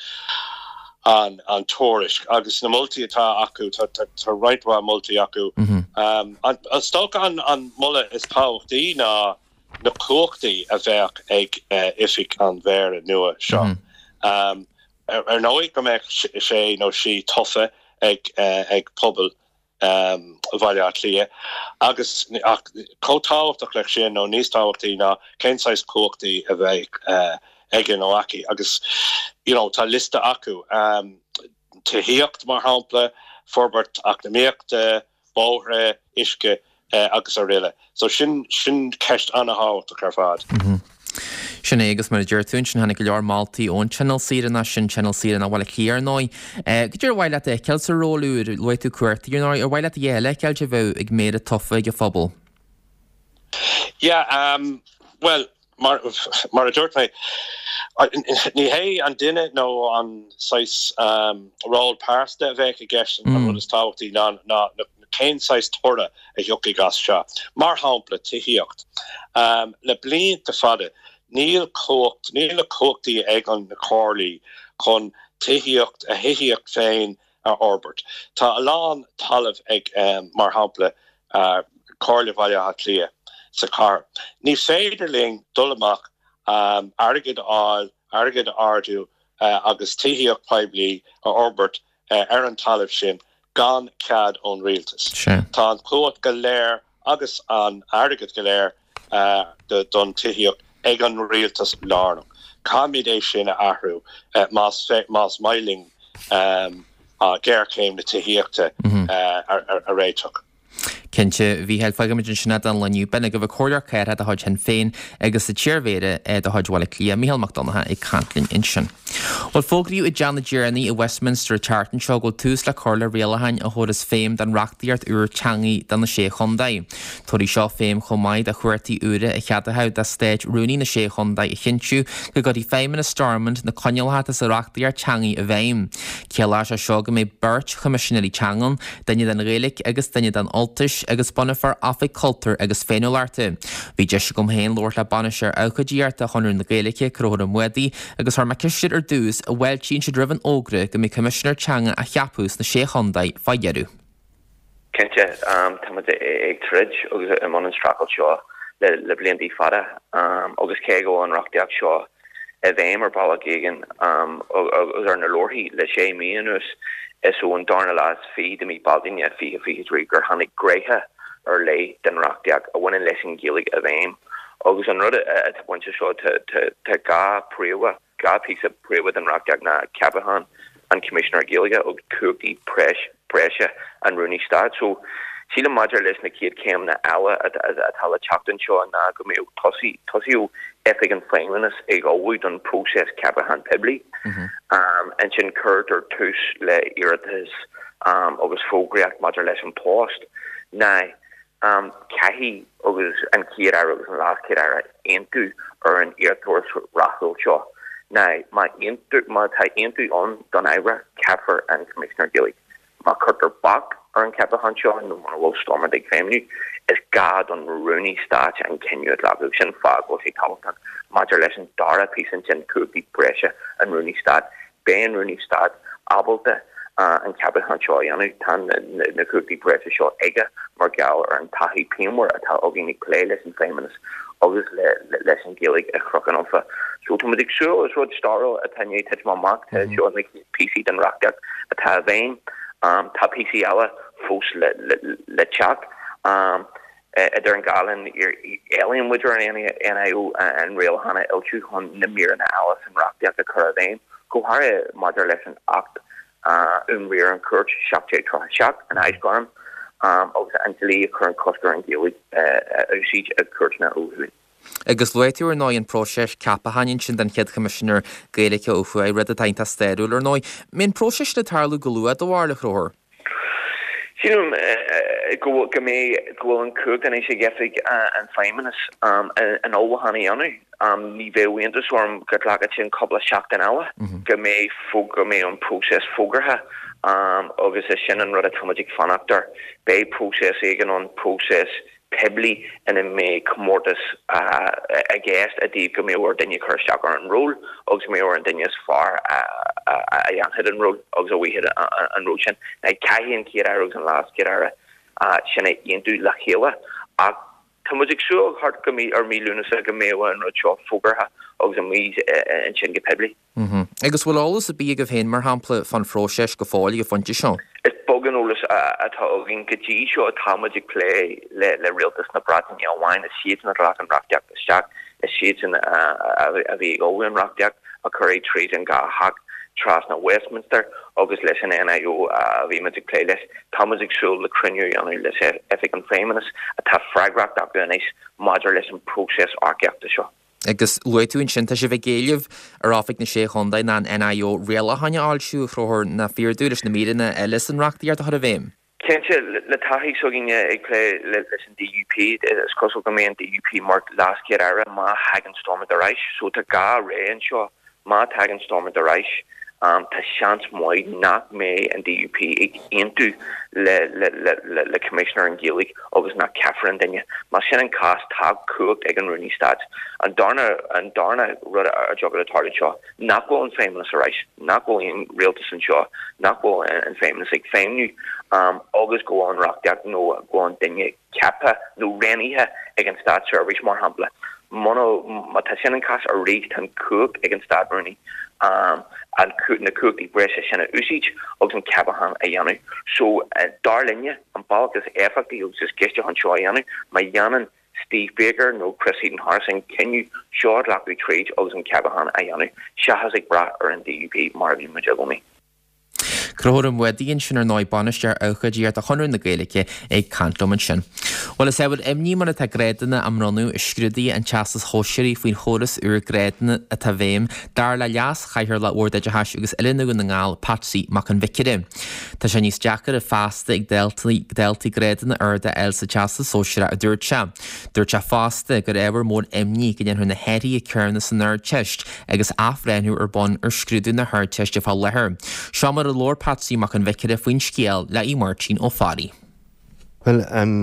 S13: an, an tuairisc agus na moltaí atá acu, tá, tá, tá roinnt mhaith moltaí acu. An, is dócha an, an moladh is tábhachtaí ná na cumhachtaí a bheadh ag oifig an mhéara nua seo. Ar ndóigh go mbeadh sé nó sí tofa ag, ag pobal Bhaile Átha Cliath. Agus ach chomh tábhachtach leis sin, nó níos tábhachtaí ná cén saghas cumhachtaí a bheidh aige nó aici. Agus you know tá liosta acu, tithíocht mar shampla, forbairt eacnamaíochta, bóithre, uisce agus araile. So sin sin ceist an-thábhachtach ar fad.
S1: Sin é agus mar a deir tú ansin tháinig go leor moltaí ón Tionól Saoránach sin Tionól Saoránach Bhaile Átha Cliath ar ndóigh. Cad é ar mhaith leat a fheiceáil sa ról úr? Luaigh tú cuartaí ar ndóigh. Ar mhaith leat a dhath eile a fheiceáil a bheadh ag Méara tofa ag an phobal?
S13: Yeah, um, well, mar, mar a dúirt mé, ní hé an duine nó an saghas um, ról pearsanta a bheadh i gceist an rud is tábhachtaí ná ná cén saghas toradh a thiocfaidh as seo. Mar shampla, tithíocht. Um, le blianta fada, níl cumhacht, níl na cumhachtaí ag an na comhairlí chun tithíocht a thithíocht féin a fhorbairt. Tá a lán talamh ag, um, mar shampla, uh, Comhairle Bhaile Átha Cliath sa chathair. Ní féidir linn dul amach um, airgead a fháil, airgead a ardú uh, agus tithíocht poiblí a fhorbairt uh, ar an talamh sin gan cead ón rialtas. Tá an chumhacht go léir agus an airgead go léir uh, don tithíocht ag an rialtas lárnach. Caithfimid é sin a athrú uh, más, más maith linn um, uh, géarchéim na tithíochta mm -hmm. uh, a, a, a réiteach.
S1: Cinnte, a Mhícheáil, fágfaimid ansin é don lá inniu. B'in agaibh an Comhairleoir Cathrach de chuid Shinn Féin agus an t-iarMhéara de chuid Bhaile Átha Cliath, Mícheál Mac Donncha ag caint linn ansin. Bhuel, fógraíodh i dTeach na dTiarnaí i Westminster an tseachtain seo go bhfuil tús le cur le rialacháin a thabharfas feidhm don reachtaíocht úr teangaí do na Sé Chontae. Tabharfaidh seo feidhm chomh maith do chumhachtaí úra a cheadóidh do Stáit Rúnaí na Sé Chontae a chinntiú go gcuirfidh Feidhmeannas Stormont na coinníollacha sa reachtaíocht teangaí i bhfeidhm. Ciallóidh sé seo go mbeidh beirt Choimisinéirí Teanga ann, duine don Ghaeilge agus duine don Ultais, agus bunófar Oifig Cultúir agus Féiniúlachta. Bhí deis agam féin labhairt le Bainisteoir Abhcóideachta Chonradh na Gaeilge, Conchúr Ó Muadaigh, agus chuir mé ceist air ar dtús an bhfáiltíonn siad roimh an fhógra go mbeidh Coimisinéir Teanga á cheapadh sna Sé Chontae fá dheireadh.
S14: Cinnte, tá muid ag troid agus i mbun an streachailt seo le blianta fada agus cé go bhfuil an reachtaíocht seo i bhfeidhm ar bhealach éigin agus ar na leabharthaí le sé mhí anuas, is ón darna lá is fiche de mhí Bealtaine fiche fiche trí gur tháinig gnéithe ar leith den reachtaíocht a bhaineann leis an Ghaeilge i bhfeidhm. Agus an rud atá bainte seo tá dhá phríomha, dhá phíosa príomha den reachtaíocht ná ceapachán an Choimisinéir Gaeilge agus cumhachtaí breise an Rúnaí Stáit. So, sílim maidir leis na chéad chéimeanna eile atá le teacht anseo ná go mbeadh tosaíodh Oifig an Feidhmeannas ag ullmhú don próiseas ceapachán poiblí. Ansin cuirtear tús le iarratas agus fógraíocht maidir leis an post. Now, caithfidh agus an Chéad-Aire agus an LeasChéad-Aire aontú ar an iarrthóir rathúil seo. Now, má má tá aontú ann don Aire, ceapfar an Coimisinéir Gaeilge. Má cuirtear bac ar an cheapachán seo nó mura bhfuil Stormont ag feidhmiú, is gá don Rúnaí Stáit an cinneadh a ghlacadh. Sin fáth go bhfuil sé tábhachtach maidir leis an dara píosa ansin, cumhachtaí breise an Rúnaí Stáit. Beidh an Rúnaí Stáit ábalta an ceapachán seo a dhéanamh. Tá na cumhachtaí breise seo aige mar gheall ar an taithí pianmhar atá againn ag plé leis an Feidhmeannas agus leis an Ghaeilge i Chnoc an Ultaigh. So tá muid ag súil, is rud stairiúil atá i ndiaidh titim amach, tá seo na chéad píosaí den reachtaíocht atá i bhfeidhm. Tá píosaí eile fós le teacht. Idir an dhá linn, éilíonn muid ar an NIO an rialachán a fhoilsiú chun na míreanna eile san reachtaíocht a chur i bhfeidhm, go háirithe maidir leis an Acht um Riar an Chúirt seacht déag tríocha a seacht, an Aisghairm, agus an dlí a chuireann cosc ar an Ghaeilge a úsáid i gcúirteanna ó thuaidh.
S1: Agus luaigh tú ar ndóigh an próiseas ceapacháin ansin don chéad Choimisinéir Gaeilge ó thuaidh, rud atá iontach stairiúil ar ndóigh. An mbeidh an próiseas sin ag tarlú go luath, do bharúil, a Chonchúir?
S14: Sílim go bhfuil go mbeidh go bhfuil an chumhacht anois ag Oifig an Feidhmeannas an ullmhúchán a dhéanamh. Ní bheadh iontas orm go nglacfadh sin cúpla seachtain eile, go mbeidh go mbeidh an próiseas fógartha agus is sin an rud atá muid ag fanacht air. Beidh próiseas éigin ann, próiseas poiblí ina mbeidh comórtas i gceist i dtaobh go mbeadh ar duine cur isteach ar an ról agus go mbeadh ar an duine is fearr a dhéanfaidh an ról agus a bhuafaidh an ról sin. Now caithfidh an Chéad-Aire agus an LeasChéad-Aire sin a aontú le chéile ach tá muid ag súil thart go mí ar mí Lúnasa go mbeadh an rud seo fógartha agus amuigh ansin go poiblí.
S1: Agus bhfuil eolas ar bith agaibh féin, mar shampla, fán phróiseas go fóill ag an phointe seo?
S14: Is beag an eolas atá againn go dtí seo. Tá muid ag plé le Rialtas na Breataine amháin. Is iadsan a ghlac an reachtaíocht isteach. Is iadsan a bhí ag ullmhú an reachtaíocht, a chuir í tríd an dhá theach trasna Westminster agus leis an NIO a bhí muid ag plé leis. Tá muid ag súil le cruinniú a dhéanamh le Oifig an Feidhmeannas atá freagracht acu anois maidir leis an bpróiseas earcaíochta seo.
S1: Agus luaigh tú ansin, tá sibh ag éileamh ar Oifig na Sé Chontae ná an NIO rialacháin a fhoilsiú a threoródh na fíordú leis na míreanna eile san reachtaíocht a chur i bhfeidhm.
S14: Cinnte, le taithí s'againne ag plé leis an DUP, is cosúil go mbeidh an DUP mar LeasChéad-Aire má thagann Stormont ar ais. So tá dhá rogha anseo, má thagann Stormont ar ais, tá seans maith nach mbeidh an DUP ag aontú le Coimisinéir an Ghaeilge agus nach ceapfar an duine. Más sin an cás, tá cumhacht ag an Rúnaí Stáit. An darna an darna rud a dtiocfadh le tarlú anseo, nach bhfuil an Feidhmeannas ar ais, nach bhfuil aon rialtas anseo, nach bhfuil an Feidhmeannas ag feidhmiú agus go bhfuil an reachtaíocht nó go bhfuil an duine ceaptha nó roghnaithe ag an státseirbhís, mar shampla. Muna, má tá sin an cás arís, tá an chumhacht ag an Stát-Rúnaí an, na cumhachtaí breise sin a úsáid agus an ceapachán a dhéanamh. So, dar linne, an bealach is éifeachtaí agus is gaiste chun seo a dhéanamh, má dhéanann Steve Baker nó Chris Heaton-Harris an cinneadh seo a ghlacadh tríd agus an ceapachán a dhéanamh, seachas ag brath ar an DUP mar a bhí muid i gcónaí.
S1: Conchúr Ó Muadaigh ansin ar ndóigh, Bainisteoir Ócáidíochta Chonradh na Gaeilge ag caint liom ansin. Bhuel, is ábhar imní mar atá grádanna á mbronnadh i scrúduithe an Teastais Shóisearaigh faoin chóras úr grádanna atá i bhfeidhm, dar le Leas-Chathaoirleach Bhord Oideachais agus Oiliúna Dhún na nGall, Patsy Mac an Bhiocaire. Tá sé níos deacaire feasta ag daltaí grádanna arda a fháil sa Teastas Sóisearach, a dúirt sé. Dúirt sé fosta gur ábhar mór imní go ndéanfar na hathruithe céanna san Ardteist agus athbhreithniú ar bun ar scrúdú na hArdteiste fá láthair. Seo mar a labhair Patsy Mac an Bhiocaire faoin scéal le Aodh Máirtín Ó Fearraigh.
S15: Bhuel, an,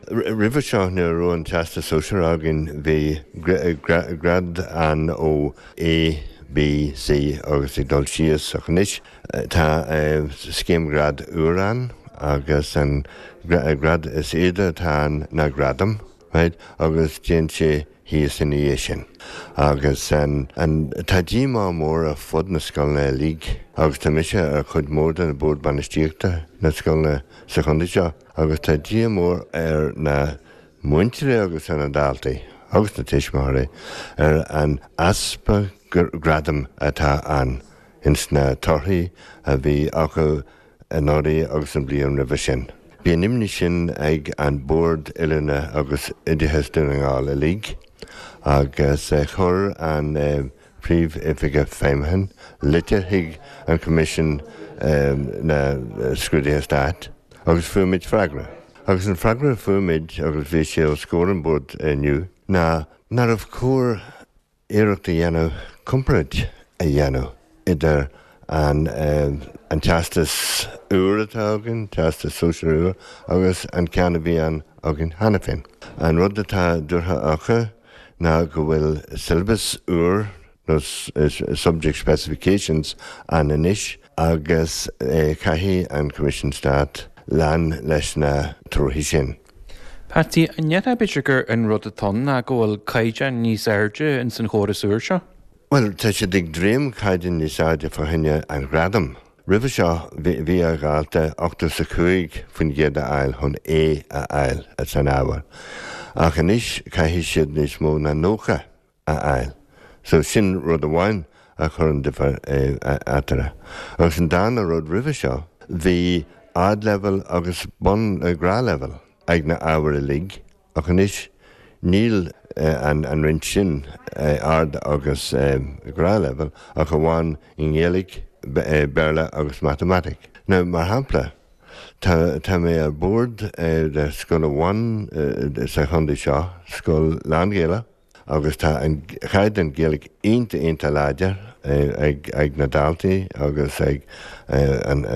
S15: roimhe seo nuair a raibh an Teastas Sóisearach againn bhí grád ann ó A, B, C agus ag dul síos ach anois tá scéim grád úr ann agus an grád is airde atá ann ná gradam, right, agus téann sé thíos ina dhiaidh sin. Agus an, an, tá díomá mór ar fud na scoileanna uilig agus tá mise ar chuid mhór de na Bord Bainistíochta na scoileanna sa chontae seo agus tá díomá mór ar na múinteoirí agus ar na daltaí agus na tuismitheoirí ar an easpa gradaim atá ann ins na torthaí a bhí acu anuraidh agus an bhliain roimhe sin. Bhí an imní sin ag an Bord Oiliúna agus Oideachais Dún na nGall uilig agus chuir an Príomh-Oifigeach Feidhmiúcháin litir chuig an Coimisiún na Scrúduithe Stáit agus fuair muid freagra. Agus an freagra a fuair muid, agus bhí sé os comhair an Bhoird inniu, ná nárbh chóir iarracht a dhéanamh comparáid a dhéanamh idir an an teastas úr atá againn, teastas sóisear úr, agus an ceann a bhí ann againn cheana féin. An rud atá dúrtha acu ná go bhfuil syllabus úr nó subject specifications ann anois agus caithfidh an Coimisiún Stát lean leis na torthaí sin.
S16: Patsy, an ndéarfá b'fhéidir gur an rud atá ann ná go bhfuil caighdeán níos airde ins an chóras úr seo?
S15: Bhuel, tá siad ag dréim caighdeán níos airde fá choinne an ghradaim. Roimhe seo, bhí ar dhalta ochtó is a cúig faoin gcéad a fháil chun A a fháil san ábhar, ach anois caithfidh siad níos mó ná nócha a fháil. So, sin rud amháin a chuireann difear eatarthu. Agus an darna rud, roimhe seo, bhí ardleibhéal agus bun, gnáthleibhéal ag na ábhair uilig, ach anois níl an roinnt sin ard agus gnáthleibhéal ach amháin i nGaeilge, Béarla agus Matamaitic. Now, mar shampla, tá tá mé ar bord de scoil amháin sa chontae seo, scoil lán-Ghaelach, agus tá an chaighdeán Gaeilge iontach iontach láidir ag ag na daltaí agus ag an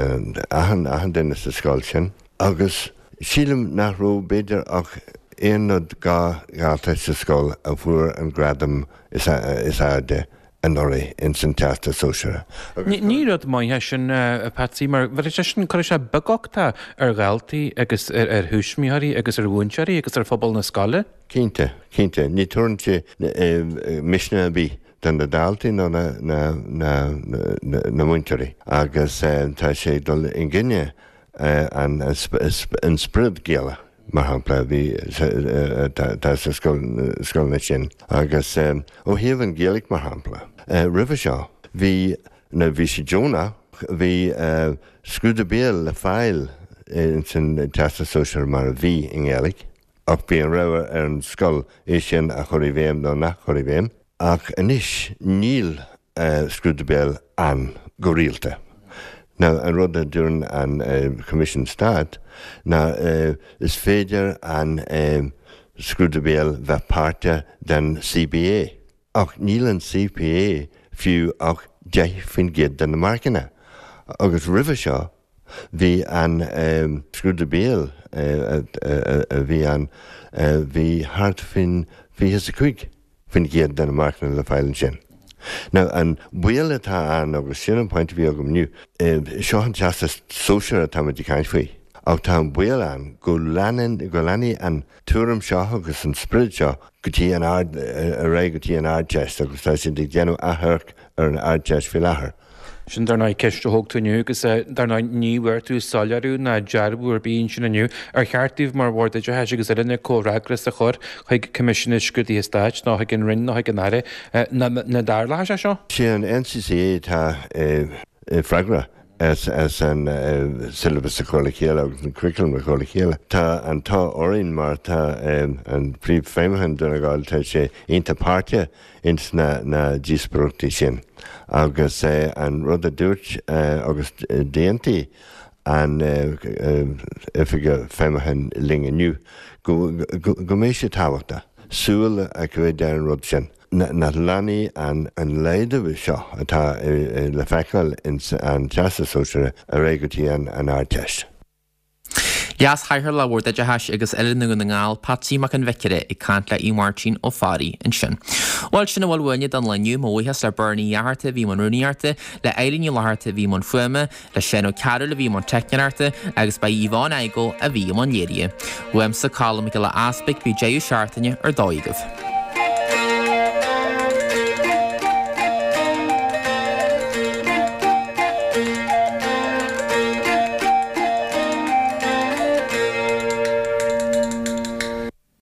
S15: achan achan duine sa scoil sin. Agus sílim nach raibh b'fhéidir ach aon nó dhá dhalta sa scoil a fuair an gradam is airde anuraidh ins an Teastas Sóisearach.
S16: Ní rud maith é sin, a Patsy, mar bheadh sé sin, cuirfidh sé beaguchtach ar dhaltaí agus ar thuismitheoirí agus ar mhúinteoirí agus ar phobal na scoile.
S15: Cinnte, cinnte. Ní tabharann sé misneach ar bith do na daltaí nó na múinteoirí agus tá sé ag dul i gcoinne an spiorad Gaelach, mar shampla, a bhí atá sa scoileanna sin. Agus ó thaobh an Ghaeilge, mar shampla, roimhe seo, bhí, nó bhí sé deonach, bhí scrúdú béil le fáil ins an Teastas Sóisearach mar a bhí i nGaeilge, ach bhí an rogha ar an scoil é sin a chur i bhfeidhm nó nach chur i bhfeidhm. Ach anois níl scrúdú béil ann go rialta. Now an rud a dúirt an Coimisiún Stáit ná is féidir an scrúdú béil bheith páirteach den CPA. Ach níl an CPA fiú ach deich faoin gcéad de na marcanna. Agus roimhe seo bhí an scrúdú béil a bhí ann, bhí thart faoin fiche is a cúig faoin gcéad de na marcanna le fáil ansin. Now, an baol atá ann, agus sin an pointe a bhí agam inniu, seo an Teastas Sóisearach atáimid ag caint faoi, ach tá an baol ann go leanann, go leanfaidh an tuairim seo agus an sprid seo go dtí an Ard, ar aghaidh go dtí an Ardteist agus tá siad ag déanamh athamharc ar an Ardteist faoi láthair.
S16: Sin dar ndóigh ceist a thóg tú inniu agus dar ndóigh ní bhfuair tú soiléiriú ná dearbhú ar bith ansin inniu. Ar cheart daoibh mar Bhord Oideachais agus Oiliúna comhfhreagras a chur chuig Coimisiún na Scrúduithe Stáit nó chuig an Roinn nó chuig an Aire nach dtarlódh sé seo?
S15: Sé an NCCA atá freagrach as an syllabus a chur le chéile agus an curriculum a chur le chéile. Tá an t-ádh orainn mar tá an Príomhfheidhmeannach Dún na nGall, tá sé iontach páirteach ins na na díospóireachtaí sin agus an rud a dúirt agus d'aontaigh an Oifigeach Feidhmiúcháin linn inniu go go mbeidh sé tábhachtach súil a choimeád ar an rud sin. Nach leanfaidh an an laghdú seo atá le feiceáil ins an Teastas Sóisearach ar aghaidh go dtí an an Ardteist.
S1: Leas-Chathaoirleach Bhord Oideachais agus Oiliúna Dhún na nGall, Patsy Mac an Bhiocaire ag caint le Aodh Máirtín Ó Fearraigh ansin. Bhuel, sin a bhfuil uainne don lá inniu. Mo bhuíochas le Bernie Uí Fhátharta a bhí i mbun rúnaíochta, le Eileen Ní Fhlatharta a bhí i mbun fuaime, le Seán Ó Cearúil a bhí i mbun teicneoireachta agus ba í Yvonne Igoe a bhí i mbun léirithe. Uaimse, Colm Mac Giolla Easpaig, bíodh deireadh seachtaine ar dóigh agaibh.